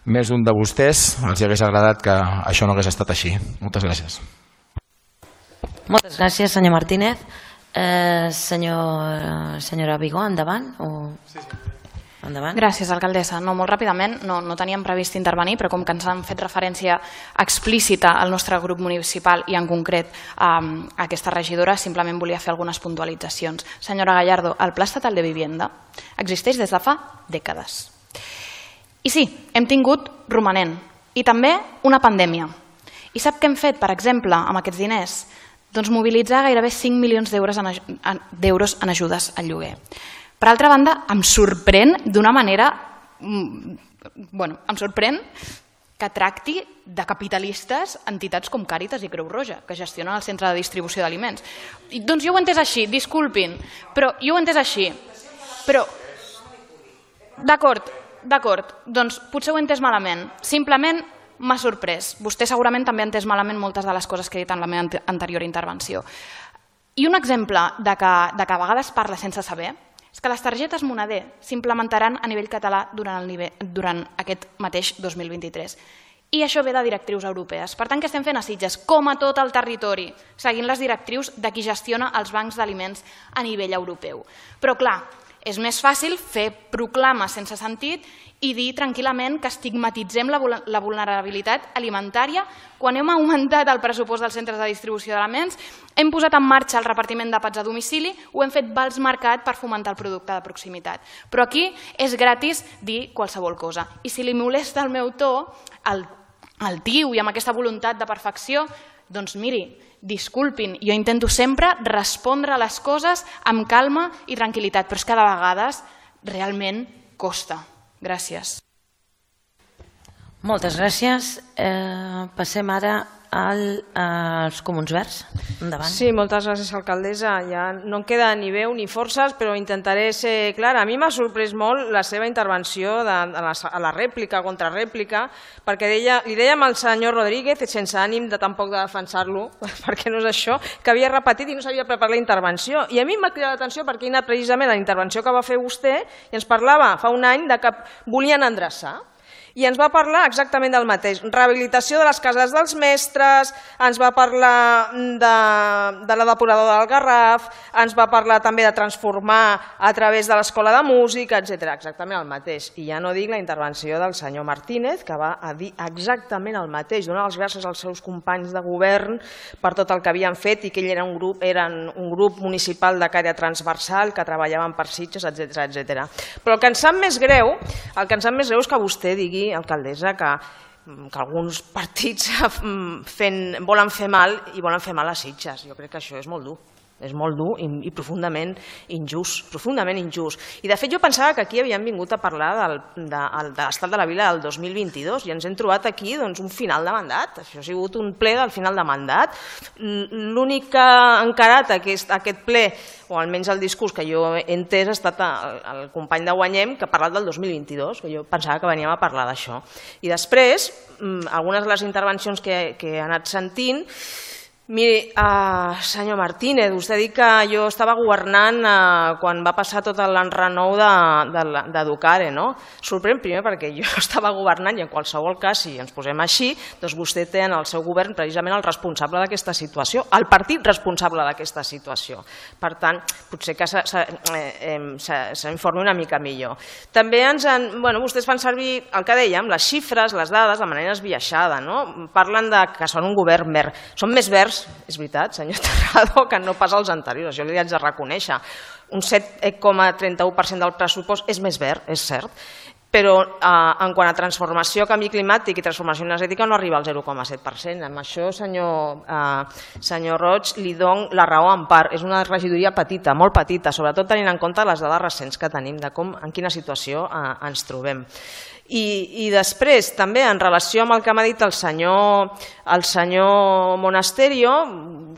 més d'un de vostès els hagués agradat que això no hagués estat així. Moltes gràcies. Moltes gràcies, senyor Martínez. Senyora Vigó, endavant. Endavant. Gràcies, alcaldessa. No, molt ràpidament, no teníem previst intervenir, però com que ens han fet referència explícita al nostre grup municipal i en concret a aquesta regidora, simplement volia fer algunes puntualitzacions. Senyora Gallardo, el Pla Estatal de Vivienda existeix des de fa dècades. I sí, hem tingut romanent i també una pandèmia. I sap què hem fet, per exemple, amb aquests diners? Doncs mobilitzar gairebé 5 milions d'euros en ajudes al lloguer. Per altra banda, em sorprèn d'una manera... em sorprèn que tracti de capitalistes entitats com Càritas i Creu Roja, que gestionen el centre de distribució d'aliments. Doncs jo ho he entès així, disculpin, però jo ho he entès així. Però, d'acord, doncs potser ho he entès malament. Simplement m'ha sorprès. Vostè segurament també ha entès malament moltes de les coses que he dit en la meva anterior intervenció. I un exemple de que a vegades parla sense saber és que les targetes Moneder s'implementaran a nivell català durant aquest mateix 2023. I això ve de directrius europees. Per tant, què estem fent a Sitges? Com a tot el territori, seguint les directrius de qui gestiona els bancs d'aliments a nivell europeu. Però, clar, és més fàcil fer proclames sense sentit i dir tranquil·lament que estigmatitzem la vulnerabilitat alimentària quan hem augmentat el pressupost dels centres de distribució d'aliments, hem posat en marxa el repartiment d'àpats a domicili o hem fet vals mercat per fomentar el producte de proximitat. Però aquí és gratis dir qualsevol cosa. I si li molesta el meu to, el tiu i amb aquesta voluntat de perfecció, doncs miri, disculpin, jo intento sempre respondre a les coses amb calma i tranquil·litat, però és que de vegades realment costa. Gràcies. Moltes gràcies. Passem ara als Comuns Verds. Endavant. Sí, moltes gràcies, alcaldessa. Ja no em queda ni veu ni forces, però intentaré ser clara. A mi m'ha sorprès molt la seva intervenció a la rèplica, contrarèplica, perquè li dèiem al senyor Rodríguez, sense ànim de tampoc de defensar-lo, perquè no és això, que havia repetit i no s'havia preparat la intervenció. I a mi m'ha cridat l'atenció perquè he anat precisament a la intervenció que va fer vostè i ens parlava fa un any que volien endreçar. I ens va parlar exactament del mateix, rehabilitació de les cases dels mestres, ens va parlar de la depuradora del Garraf, ens va parlar també de transformar a través de l'escola de música, etc. Exactament el mateix. I ja no dic la intervenció del senyor Martínez, que va a dir exactament el mateix, donar les gràcies als seus companys de govern per tot el que havien fet i que ell eren un grup municipal de caire transversal que treballaven per Sitges, etc. Però el que ens sap més greu és que vostè digui, alcaldessa, que alguns partits volen fer mal i volen fer mal a Sitges. Jo crec que això és molt dur. És molt dur i profundament injust. I de fet jo pensava que aquí havíem vingut a parlar de l'estat de la vila del 2022 i ens hem trobat aquí un final de mandat. Això ha sigut un ple del final de mandat. L'únic que ha encarat aquest ple, o almenys el discurs que jo he entès, ha estat el company de Guanyem, que ha parlat del 2022, que jo pensava que veníem a parlar d'això. I després, algunes de les intervencions que he anat sentint, Miri, senyor Martínez, vostè ha dit que jo estava governant quan va passar tot l'enrenou d'Educare, no? Sorprèn primer perquè jo estava governant i en qualsevol cas, si ens posem així, doncs vostè té en el seu govern precisament el responsable d'aquesta situació, el partit responsable d'aquesta situació. Per tant, potser que s'informi una mica millor. També vostès fan servir el que dèiem, les xifres, les dades, de manera esbiaixada, no? Parlen que són un govern verd. Són més verds, és veritat, senyor Terrado, que no pas els anteriors, això li haig de reconèixer. Un 7,31% del pressupost és més verd, és cert, però en quant a transformació, canvi climàtic i transformació energètica no arriba al 0,7%. Amb això, senyor Roig, li dono la raó en part. És una regidoria petita, molt petita, sobretot tenint en compte les dades recents que tenim de en quina situació ens trobem. I després, també, en relació amb el que m'ha dit el senyor Monasterio,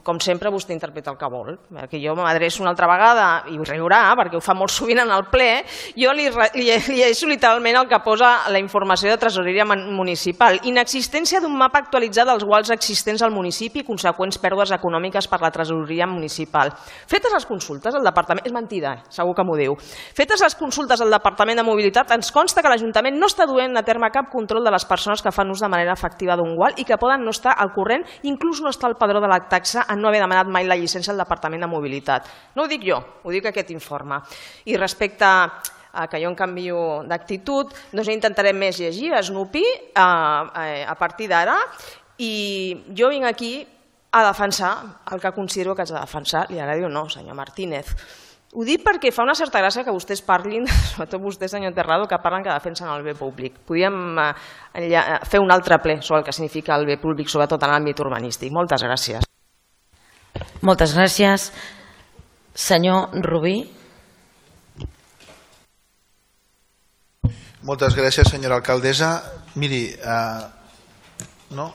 com sempre vostè interpreta el que vol. Que jo m'adreço una altra vegada, i ho riurà, perquè ho fa molt sovint en el ple, jo li llegeixo literalment el que posa la informació de tresoreria municipal. Inexistència d'un mapa actualitzat dels guals existents al municipi i conseqüents pèrdues econòmiques per la tresoreria municipal. Fetes les consultes al departament... És mentida, segur que m'ho diu. Fetes les consultes al departament de mobilitat, ens consta que l'Ajuntament no està duent a terme cap control de les persones que fan ús de manera efectiva d'un gual i que poden no estar al corrent, inclús no estar al padró de la taxa en no haver demanat mai la llicència al Departament de Mobilitat. No ho dic jo, ho dic aquest informe. I respecte a que jo em canvio d'actitud, doncs intentaré més llegir, esnupir a partir d'ara, i jo vinc aquí a defensar el que considero que haig de defensar, li agradi o no, senyor Martínez. Ho dic perquè fa una certa gràcia que vostès parlin, sobretot vostè, senyor Terrado, que parlen que defensen el bé públic. Podríem fer un altre ple sobre el que significa el bé públic, sobretot en l'àmbit urbanístic. Moltes gràcies. Moltes gràcies. Senyor Rubí. Moltes gràcies, senyora alcaldessa. Miri, no?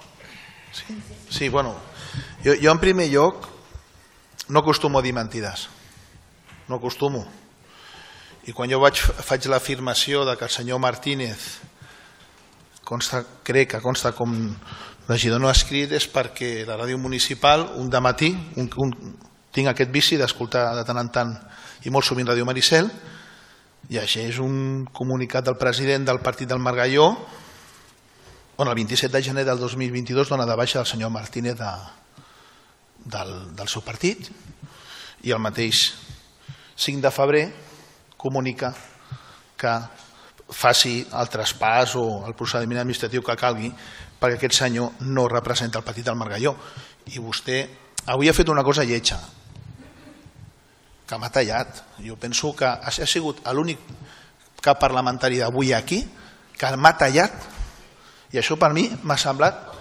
Sí, bueno, jo en primer lloc no acostumo a dir mentides. No acostumo. I quan jo faig l'afirmació que el senyor Martínez crec que consta com regidor no escrit és perquè la ràdio municipal un dematí tinc aquest vici d'escoltar de tant en tant i molt sovint Ràdio Maricel i això és un comunicat del president del partit del Margalló on el 27 de gener del 2022 dona de baixa el senyor Martínez del seu partit i el mateix 5 de febrer comunica que faci el traspàs o el procediment administratiu que calgui perquè aquest senyor no representa el partit del Margalló. I vostè avui ha fet una cosa lletja, que m'ha tallat. Jo penso que ha sigut l'únic cap parlamentari d'avui aquí que m'ha tallat i això per mi m'ha semblat,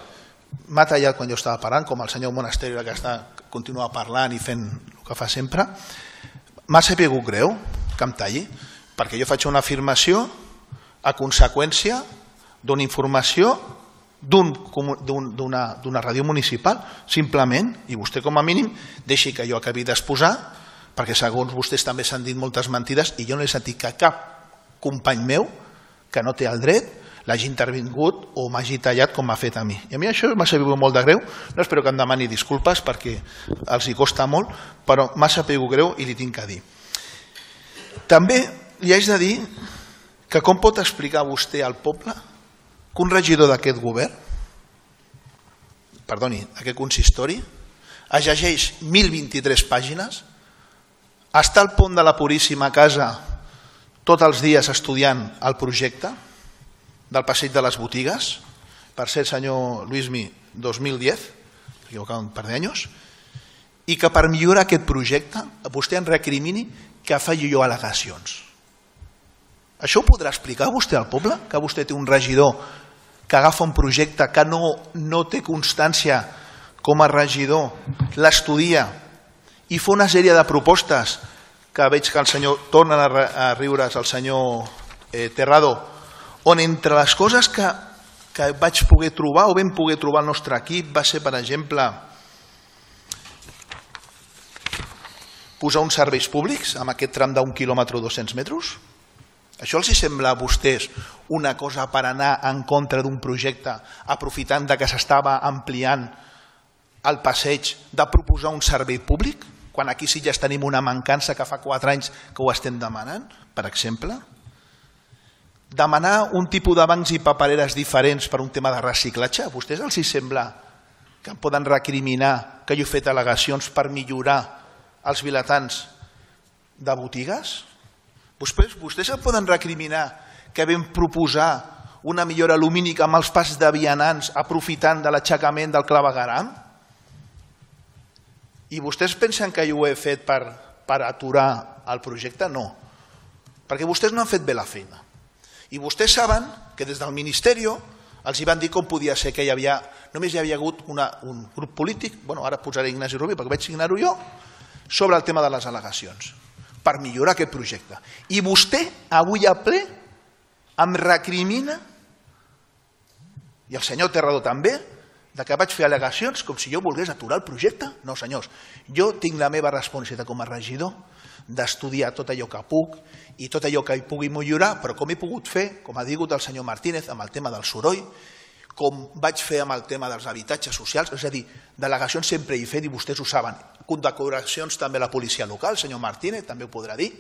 m'ha tallat quan jo estava parlant, com el senyor Monasterio que continua parlant i fent el que fa sempre. M'ha sabut greu que em talli, perquè jo faig una afirmació a conseqüència d'una informació d'una ràdio municipal, simplement, i vostè com a mínim deixi que jo acabi d'exposar, perquè segons vostès també s'han dit moltes mentides i jo no he sentit que cap company meu que no té el dret l'hagi intervingut o m'hagi tallat com m'ha fet a mi. I a mi això m'ha sabut molt de greu, no espero que em demani disculpes perquè els hi costa molt, però m'ha sabut greu i li tinc que dir. També li haig de dir que com pot explicar vostè al poble que un regidor d'aquest govern, perdoni, aquest consistori, es llegeix 1.023 pàgines, està al pont de la Puríssima Casa tots els dies estudiant el projecte del passeig de les botigues, per ser senyor Luismi 2010, equivocat un par d'anys, i que per millorar aquest projecte vostè em recrimini que faci jo al·legacions. Això ho podrà explicar vostè al poble? Que vostè té un regidor que agafa un projecte que no té constància com a regidor, l'estudia i fa una sèrie de propostes que veig que el senyor torna a riure's el senyor Terrado, on entre les coses que vaig poder trobar o vam poder trobar el nostre equip va ser, per exemple, posar uns serveis públics amb aquest tram d'un quilòmetre o 200 metres? Això els sembla a vostès una cosa per anar en contra d'un projecte aprofitant que s'estava ampliant al passeig de proposar un servei públic, quan aquí sí ja tenim una mancança que fa 4 anys que ho estem demanant, per exemple? Demanar un tipus de bancs i papereres diferents per un tema de reciclatge? A vostès els sembla que em poden recriminar que jo he fet al·legacions per millorar els vilatans de botigues? Vostès em poden recriminar que vam proposar una millora lumínica amb els passos de vianants aprofitant de l'aixecament del clavegueram? I vostès pensen que jo ho he fet per aturar el projecte? No, perquè vostès no han fet bé la feina. I vostès saben que des del Ministeri els van dir com podia ser que només hi havia hagut un grup polític, ara posaré Ignasi Rubí perquè vaig signar-ho jo, sobre el tema de les al·legacions, per millorar aquest projecte. I vostè avui a ple em recrimina, i el senyor Terrado també, que vaig fer al·legacions com si jo volgués aturar el projecte. No, senyors, jo tinc la meva responsabilitat com a regidor d'estudiar tot allò que puc i tot allò que hi pugui millorar, però com he pogut fer, com ha dit el senyor Martínez, amb el tema del soroll, com vaig fer amb el tema dels habitatges socials, és a dir, delegacions sempre hi he fet i vostès ho saben, condecoracions també a la policia local, el senyor Martínez també ho podrà dir,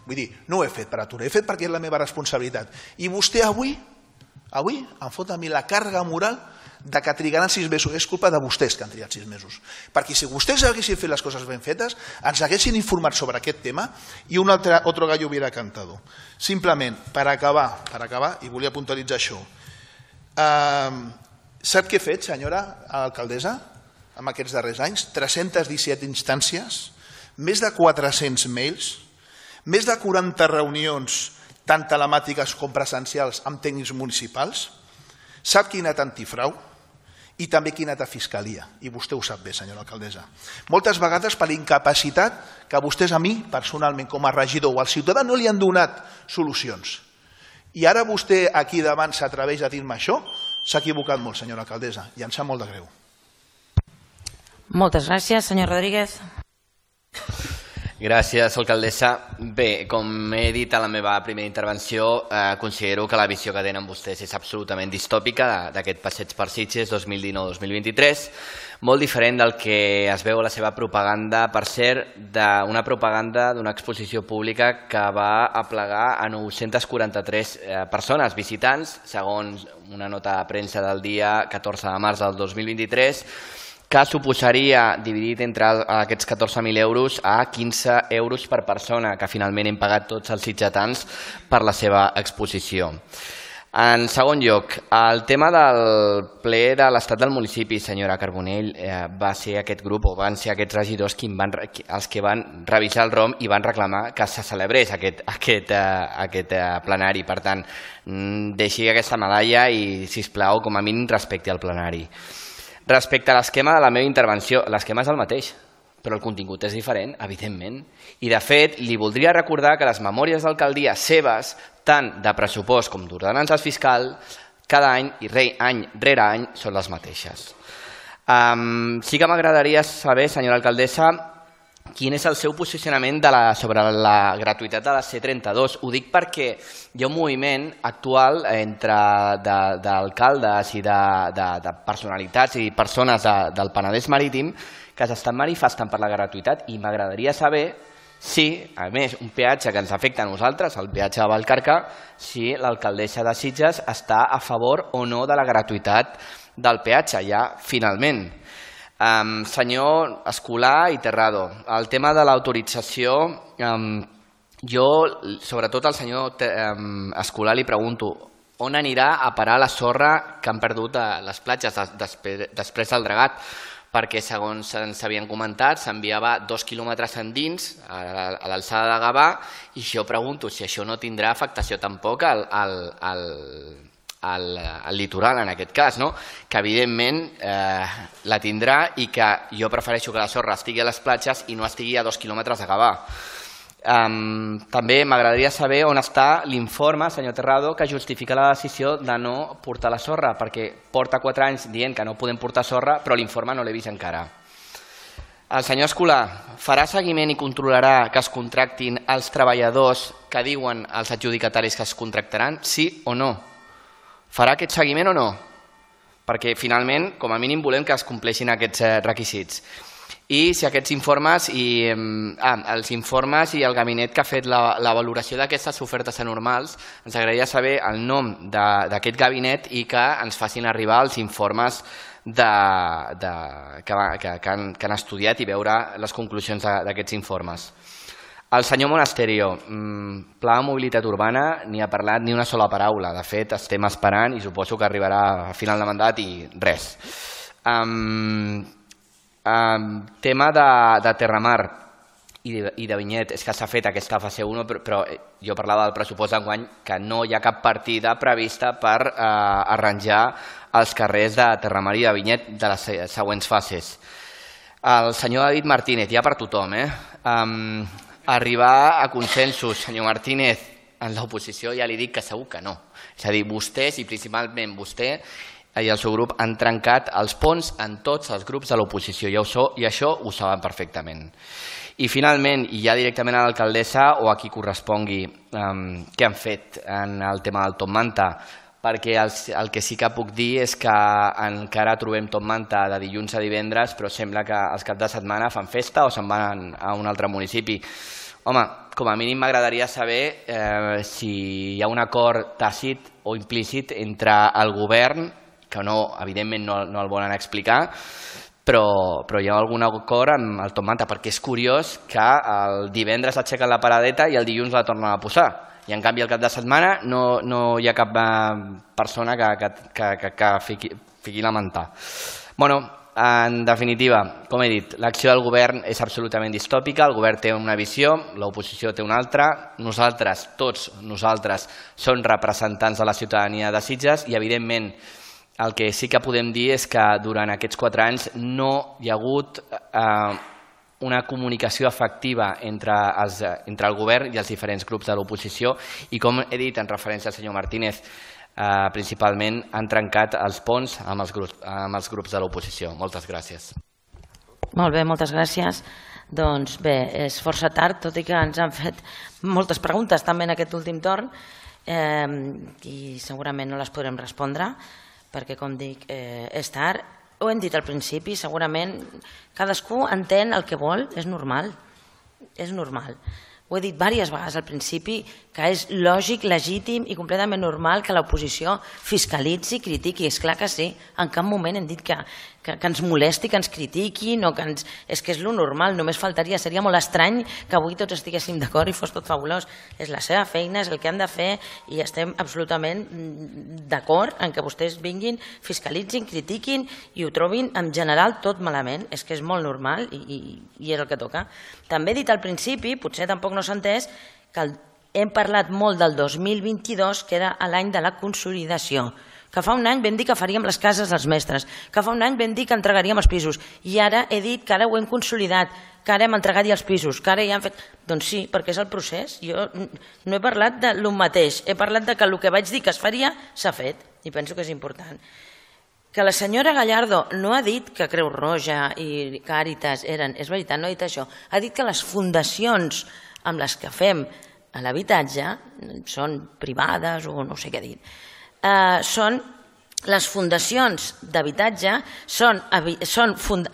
vull dir, no ho he fet per aturar, he fet perquè és la meva responsabilitat. I vostè avui em fot a mi la càrrega moral de que trigaran 6 mesos. És culpa de vostès que han trigat 6 mesos. Perquè si vostès haguessin fet les coses ben fetes, ens haguessin informat sobre aquest tema i un altre gallo hubiera cantado. Simplement, per acabar, i volia puntualitzar això, sap què he fet, senyora alcaldessa, en aquests darrers anys? 317 instàncies, més de 400 mails, més de 40 reunions tant telemàtiques com presencials amb tècnics municipals. Sap qui ha anat a antifrau i també qui ha anat a fiscalia, i vostè ho sap bé, senyora alcaldessa. Moltes vegades per incapacitat que vostès a mi, personalment, com a regidor o al ciutadà, no li han donat solucions. I ara vostè aquí davant s'atreveix a dir-me això? S'ha equivocat molt, senyora alcaldessa, i em sap molt de greu. Moltes gràcies, senyor Rodríguez. Gràcies, alcaldessa. Bé, com he dit a la meva primera intervenció, considero que la visió que tenen vostès és absolutament distòpica d'aquest passeig per Sitges 2019-2023, molt diferent del que es veu a la seva propaganda, per cert, d'una propaganda d'una exposició pública que va aplegar a 943 persones, visitants, segons una nota de premsa del dia 14 de març del 2023, que suposaria, dividit entre aquests 14.000 euros, a 15 euros per persona, que finalment hem pagat tots els sitgetans per la seva exposició. En segon lloc, el tema del ple de l'estat del municipi, senyora Carbonell, va ser aquest grup, o van ser aquests regidors els que van revisar el ROM i van reclamar que se celebrés aquest plenari. Per tant, deixi aquesta medalla i, sisplau, com a mínim respecti al plenari. Respecte a l'esquema de la meva intervenció, l'esquema és el mateix, però el contingut és diferent, evidentment. I, de fet, li voldria recordar que les memòries d'alcaldia seves, tant de pressupost com d'ordenances fiscal, cada any i any rere any són les mateixes. Sí que m'agradaria saber, senyora alcaldessa, quin és el seu posicionament sobre la gratuïtat de la C32. Ho dic perquè hi ha un moviment actual d'alcaldes i de personalitats i persones del Penedès Marítim que s'estan manifestant per la gratuïtat i m'agradaria saber si, a més, un peatge que ens afecta a nosaltres, el peatge de Vallcarca, si l'alcaldessa de Sitges està a favor o no de la gratuïtat del peatge, ja finalment. Senyor Escolà i Terrado, el tema de l'autorització, jo, sobretot al senyor Escolà, li pregunto on anirà a parar la sorra que han perdut a les platges després del dragat, perquè segons ens havien comentat s'enviava 2 quilòmetres endins a l'alçada de Gavà i jo pregunto si això no tindrà afectació tampoc al litoral en aquest cas, que evidentment la tindrà i que jo prefereixo que la sorra estigui a les platges i no estigui a 2 quilòmetres de Gavà. També m'agradaria saber on està l'informe, senyor Terrado, que justifica la decisió de no portar la sorra, perquè porta 4 anys dient que no podem portar sorra, però l'informe no l'he vist encara. El senyor Escolà farà seguiment i controlarà que es contractin els treballadors que diuen els adjudicataris que es contractaran, sí o no? Farà aquest seguiment o no? perquè finalment, com a mínim, volem que es compleixin aquests requisits. I si aquests informes els informes i el gabinet que ha fet la valoració d'aquestes ofertes anormals, ens agradaria saber el nom d'aquest gabinet i que ens facin arribar els informes que han estudiat i veure les conclusions d'aquests informes. El senyor Monasterio, pla de mobilitat urbana, ni ha parlat ni una sola paraula. De fet, estem esperant i suposo que arribarà a final de mandat i res. Tema de Terramar i de Vinyet, és que s'ha fet aquesta fase 1, però jo parlava del pressupost d'enguany que no hi ha cap partida prevista per arranjar els carrers de Terramar i de Vinyet de les següents fases. El senyor David Martínez, ja per tothom, arribar a consensos, senyor Martínez, en l'oposició ja li dic que segur que no. És a dir, vostès i principalment vostè i el seu grup han trencat els ponts en tots els grups de l'oposició i això ho saben perfectament. I finalment, i ja directament a l'alcaldessa o a qui correspongui, què han fet en el tema del Top Manta? Perquè el que sí que puc dir és que encara trobem Top Manta de dilluns a divendres, però sembla que els caps de setmana fan festa o se'n van a un altre municipi. Home, com a mínim m'agradaria saber si hi ha un acord tàcit o implícit entre el govern, que evidentment no el volen explicar, però hi ha algun acord amb el Top Manta, perquè és curiós que el divendres aixequen la paradeta i el dilluns la tornen a posar. I en canvi el cap de setmana no hi ha cap persona que fiqui la manta. Bueno, en definitiva, com he dit, l'acció del govern és absolutament distòpica, el govern té una visió, l'oposició té una altra, nosaltres, tots nosaltres, som representants de la ciutadania de Sitges i evidentment el que sí que podem dir és que durant aquests 4 anys no hi ha hagut una comunicació efectiva entre el govern i els diferents grups de l'oposició i, com he dit en referència al senyor Martínez, principalment han trencat els ponts amb els grups de l'oposició. Moltes gràcies. Molt bé, moltes gràcies. Doncs bé, és força tard, tot i que ens han fet moltes preguntes també en aquest últim torn i segurament no les podrem respondre perquè, com dic, és tard. Ho hem dit al principi, segurament cadascú entén el que vol, és normal, és normal. Ho he dit diverses vegades al principi, que és lògic, legítim i completament normal que l'oposició fiscalitzi i critiqui. És clar que sí, en cap moment hem dit que ens molesti, que ens critiquin, és que és lo normal, només faltaria, seria molt estrany que avui tots estiguéssim d'acord i fos tot fabulós. És la seva feina, és el que han de fer i estem absolutament d'acord en que vostès vinguin, fiscalitzin, critiquin i ho trobin en general tot malament. És que és molt normal i és el que toca. També he dit al principi, potser tampoc no s'ha entès, que hem parlat molt del 2022, que era l'any de la consolidació, que fa un any vam dir que faríem les cases dels mestres, que fa un any vam dir que entregaríem els pisos i ara he dit que ara ho hem consolidat, que ara hem entregat ja els pisos, que ara ja han fet... Doncs sí, perquè és el procés. Jo no he parlat del mateix, he parlat de que el que vaig dir que es faria s'ha fet i penso que és important. Que la senyora Gallardo no ha dit que Creu Roja i Càritas eren... És veritat, no ha dit això. Ha dit que les fundacions amb les que fem l'habitatge són privades o no sé què dir. Són les fundacions d'habitatge, són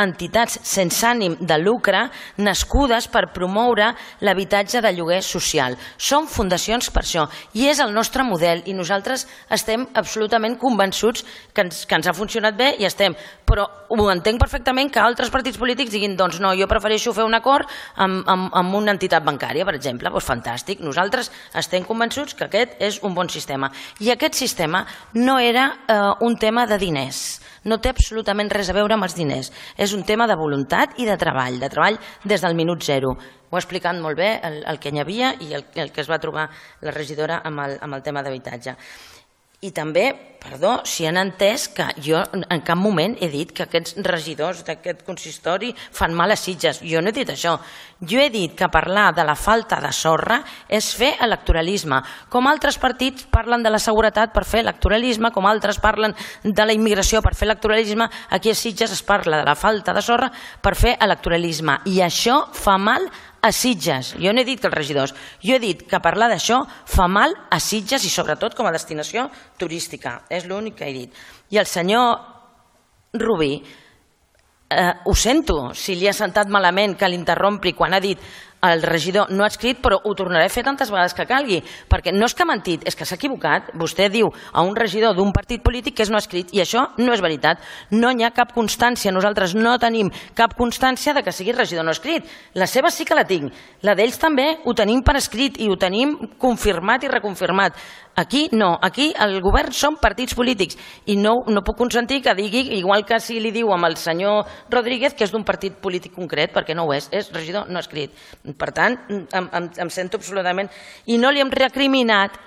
entitats sense ànim de lucre nascudes per promoure l'habitatge de lloguer social. Són fundacions per això i és el nostre model i nosaltres estem absolutament convençuts que ens ha funcionat bé i estem, però ho entenc perfectament que altres partits polítics diguin doncs no, jo prefereixo fer un acord amb una entitat bancària, per exemple, doncs fantàstic. Nosaltres estem convençuts que aquest és un bon sistema i aquest sistema no era un tema de diners, no té absolutament res a veure amb els diners, és un tema de voluntat i de treball des del minut zero. Ho ha explicat molt bé el que hi havia i el que es va trobar la regidora amb el tema d'habitatge. I també, perdó, si han entès que jo en cap moment he dit que aquests regidors d'aquest consistori fan mal a Sitges. Jo no he dit això. Jo he dit que parlar de la falta de sorra és fer electoralisme. Com altres partits parlen de la seguretat per fer electoralisme, com altres parlen de la immigració per fer electoralisme, aquí a Sitges es parla de la falta de sorra per fer electoralisme. I això fa mal a Sitges. Jo no he dit que els regidors, jo he dit que parlar d'això fa mal a Sitges i sobretot com a destinació turística. És l'únic que he dit. I el senyor Rubí, ho sento si li ha sentat malament que l'interrompri quan ha dit el regidor no ha escrit, però ho tornaré a fer tantes vegades que calgui, perquè no és que ha mentit, és que s'ha equivocat. Vostè diu a un regidor d'un partit polític que no ha escrit, i això no és veritat. No hi ha cap constància, nosaltres no tenim cap constància de que sigui regidor no escrit. La seva sí que la tinc, la d'ells també ho tenim per escrit i ho tenim confirmat i reconfirmat. Aquí no, aquí el govern són partits polítics i no puc consentir que digui, igual que si li diu amb el senyor Rodríguez, que és d'un partit polític concret, perquè no ho és regidor no escrit. Per tant, em sento absolutament... I no li hem recriminat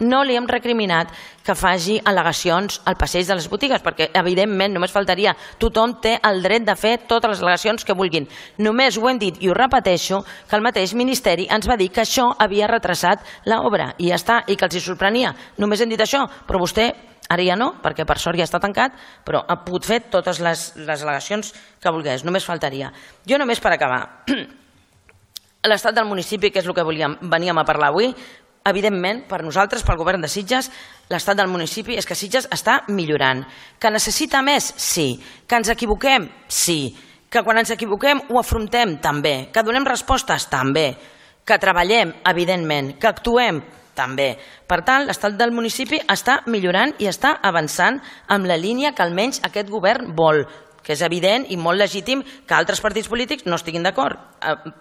que faci al·legacions al passeig de les botigues, perquè evidentment només faltaria, tothom té el dret de fer totes les al·legacions que vulguin. Només ho hem dit i ho repeteixo, que el mateix Ministeri ens va dir que això havia retrasat l'obra i ja està, i que els hi sorprenia. Només hem dit això, però vostè ara ja no, perquè per sort ja està tancat, però ha pogut fer totes les al·legacions que volgués, només faltaria. Jo només per acabar, l'estat del municipi, que és el que veníem a parlar avui, evidentment, per nosaltres, pel govern de Sitges, l'estat del municipi és que Sitges està millorant. Que necessita més? Sí. Que ens equivoquem? Sí. Que quan ens equivoquem ho afrontem? També. Que donem respostes? També. Que treballem? Evidentment. Que actuem? També. Per tant, l'estat del municipi està millorant i està avançant amb la línia que almenys aquest govern vol, que és evident i molt legítim que altres partits polítics no estiguin d'acord,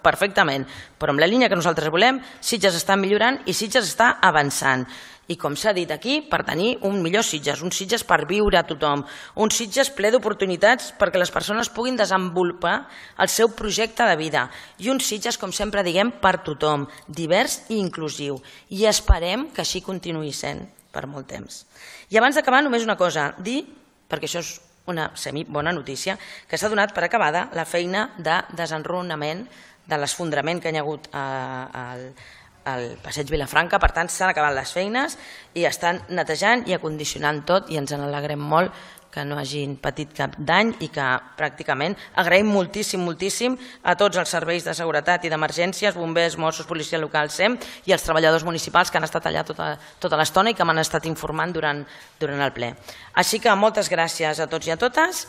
perfectament. Però amb la línia que nosaltres volem, Sitges està millorant i Sitges està avançant. I com s'ha dit aquí, per tenir un millor Sitges, un Sitges per viure a tothom, un Sitges ple d'oportunitats perquè les persones puguin desenvolupar el seu projecte de vida i un Sitges, com sempre diguem, per tothom, divers i inclusiu. I esperem que així continuï sent per molt temps. I abans d'acabar, només una cosa, dir, perquè això és una bona notícia, que s'ha donat per acabada la feina de desenrunament de l'esfondrament que hi ha hagut al passeig Vilafranca. Per tant, s'han acabat les feines i estan netejant i acondicionant tot i ens en alegrem molt que no hagin patit cap dany i que pràcticament agraïm moltíssim a tots els serveis de seguretat i d'emergències, bombers, Mossos, policia local, SEM i els treballadors municipals que han estat allà tota l'estona i que m'han estat informant durant el ple. Així que moltes gràcies a tots i a totes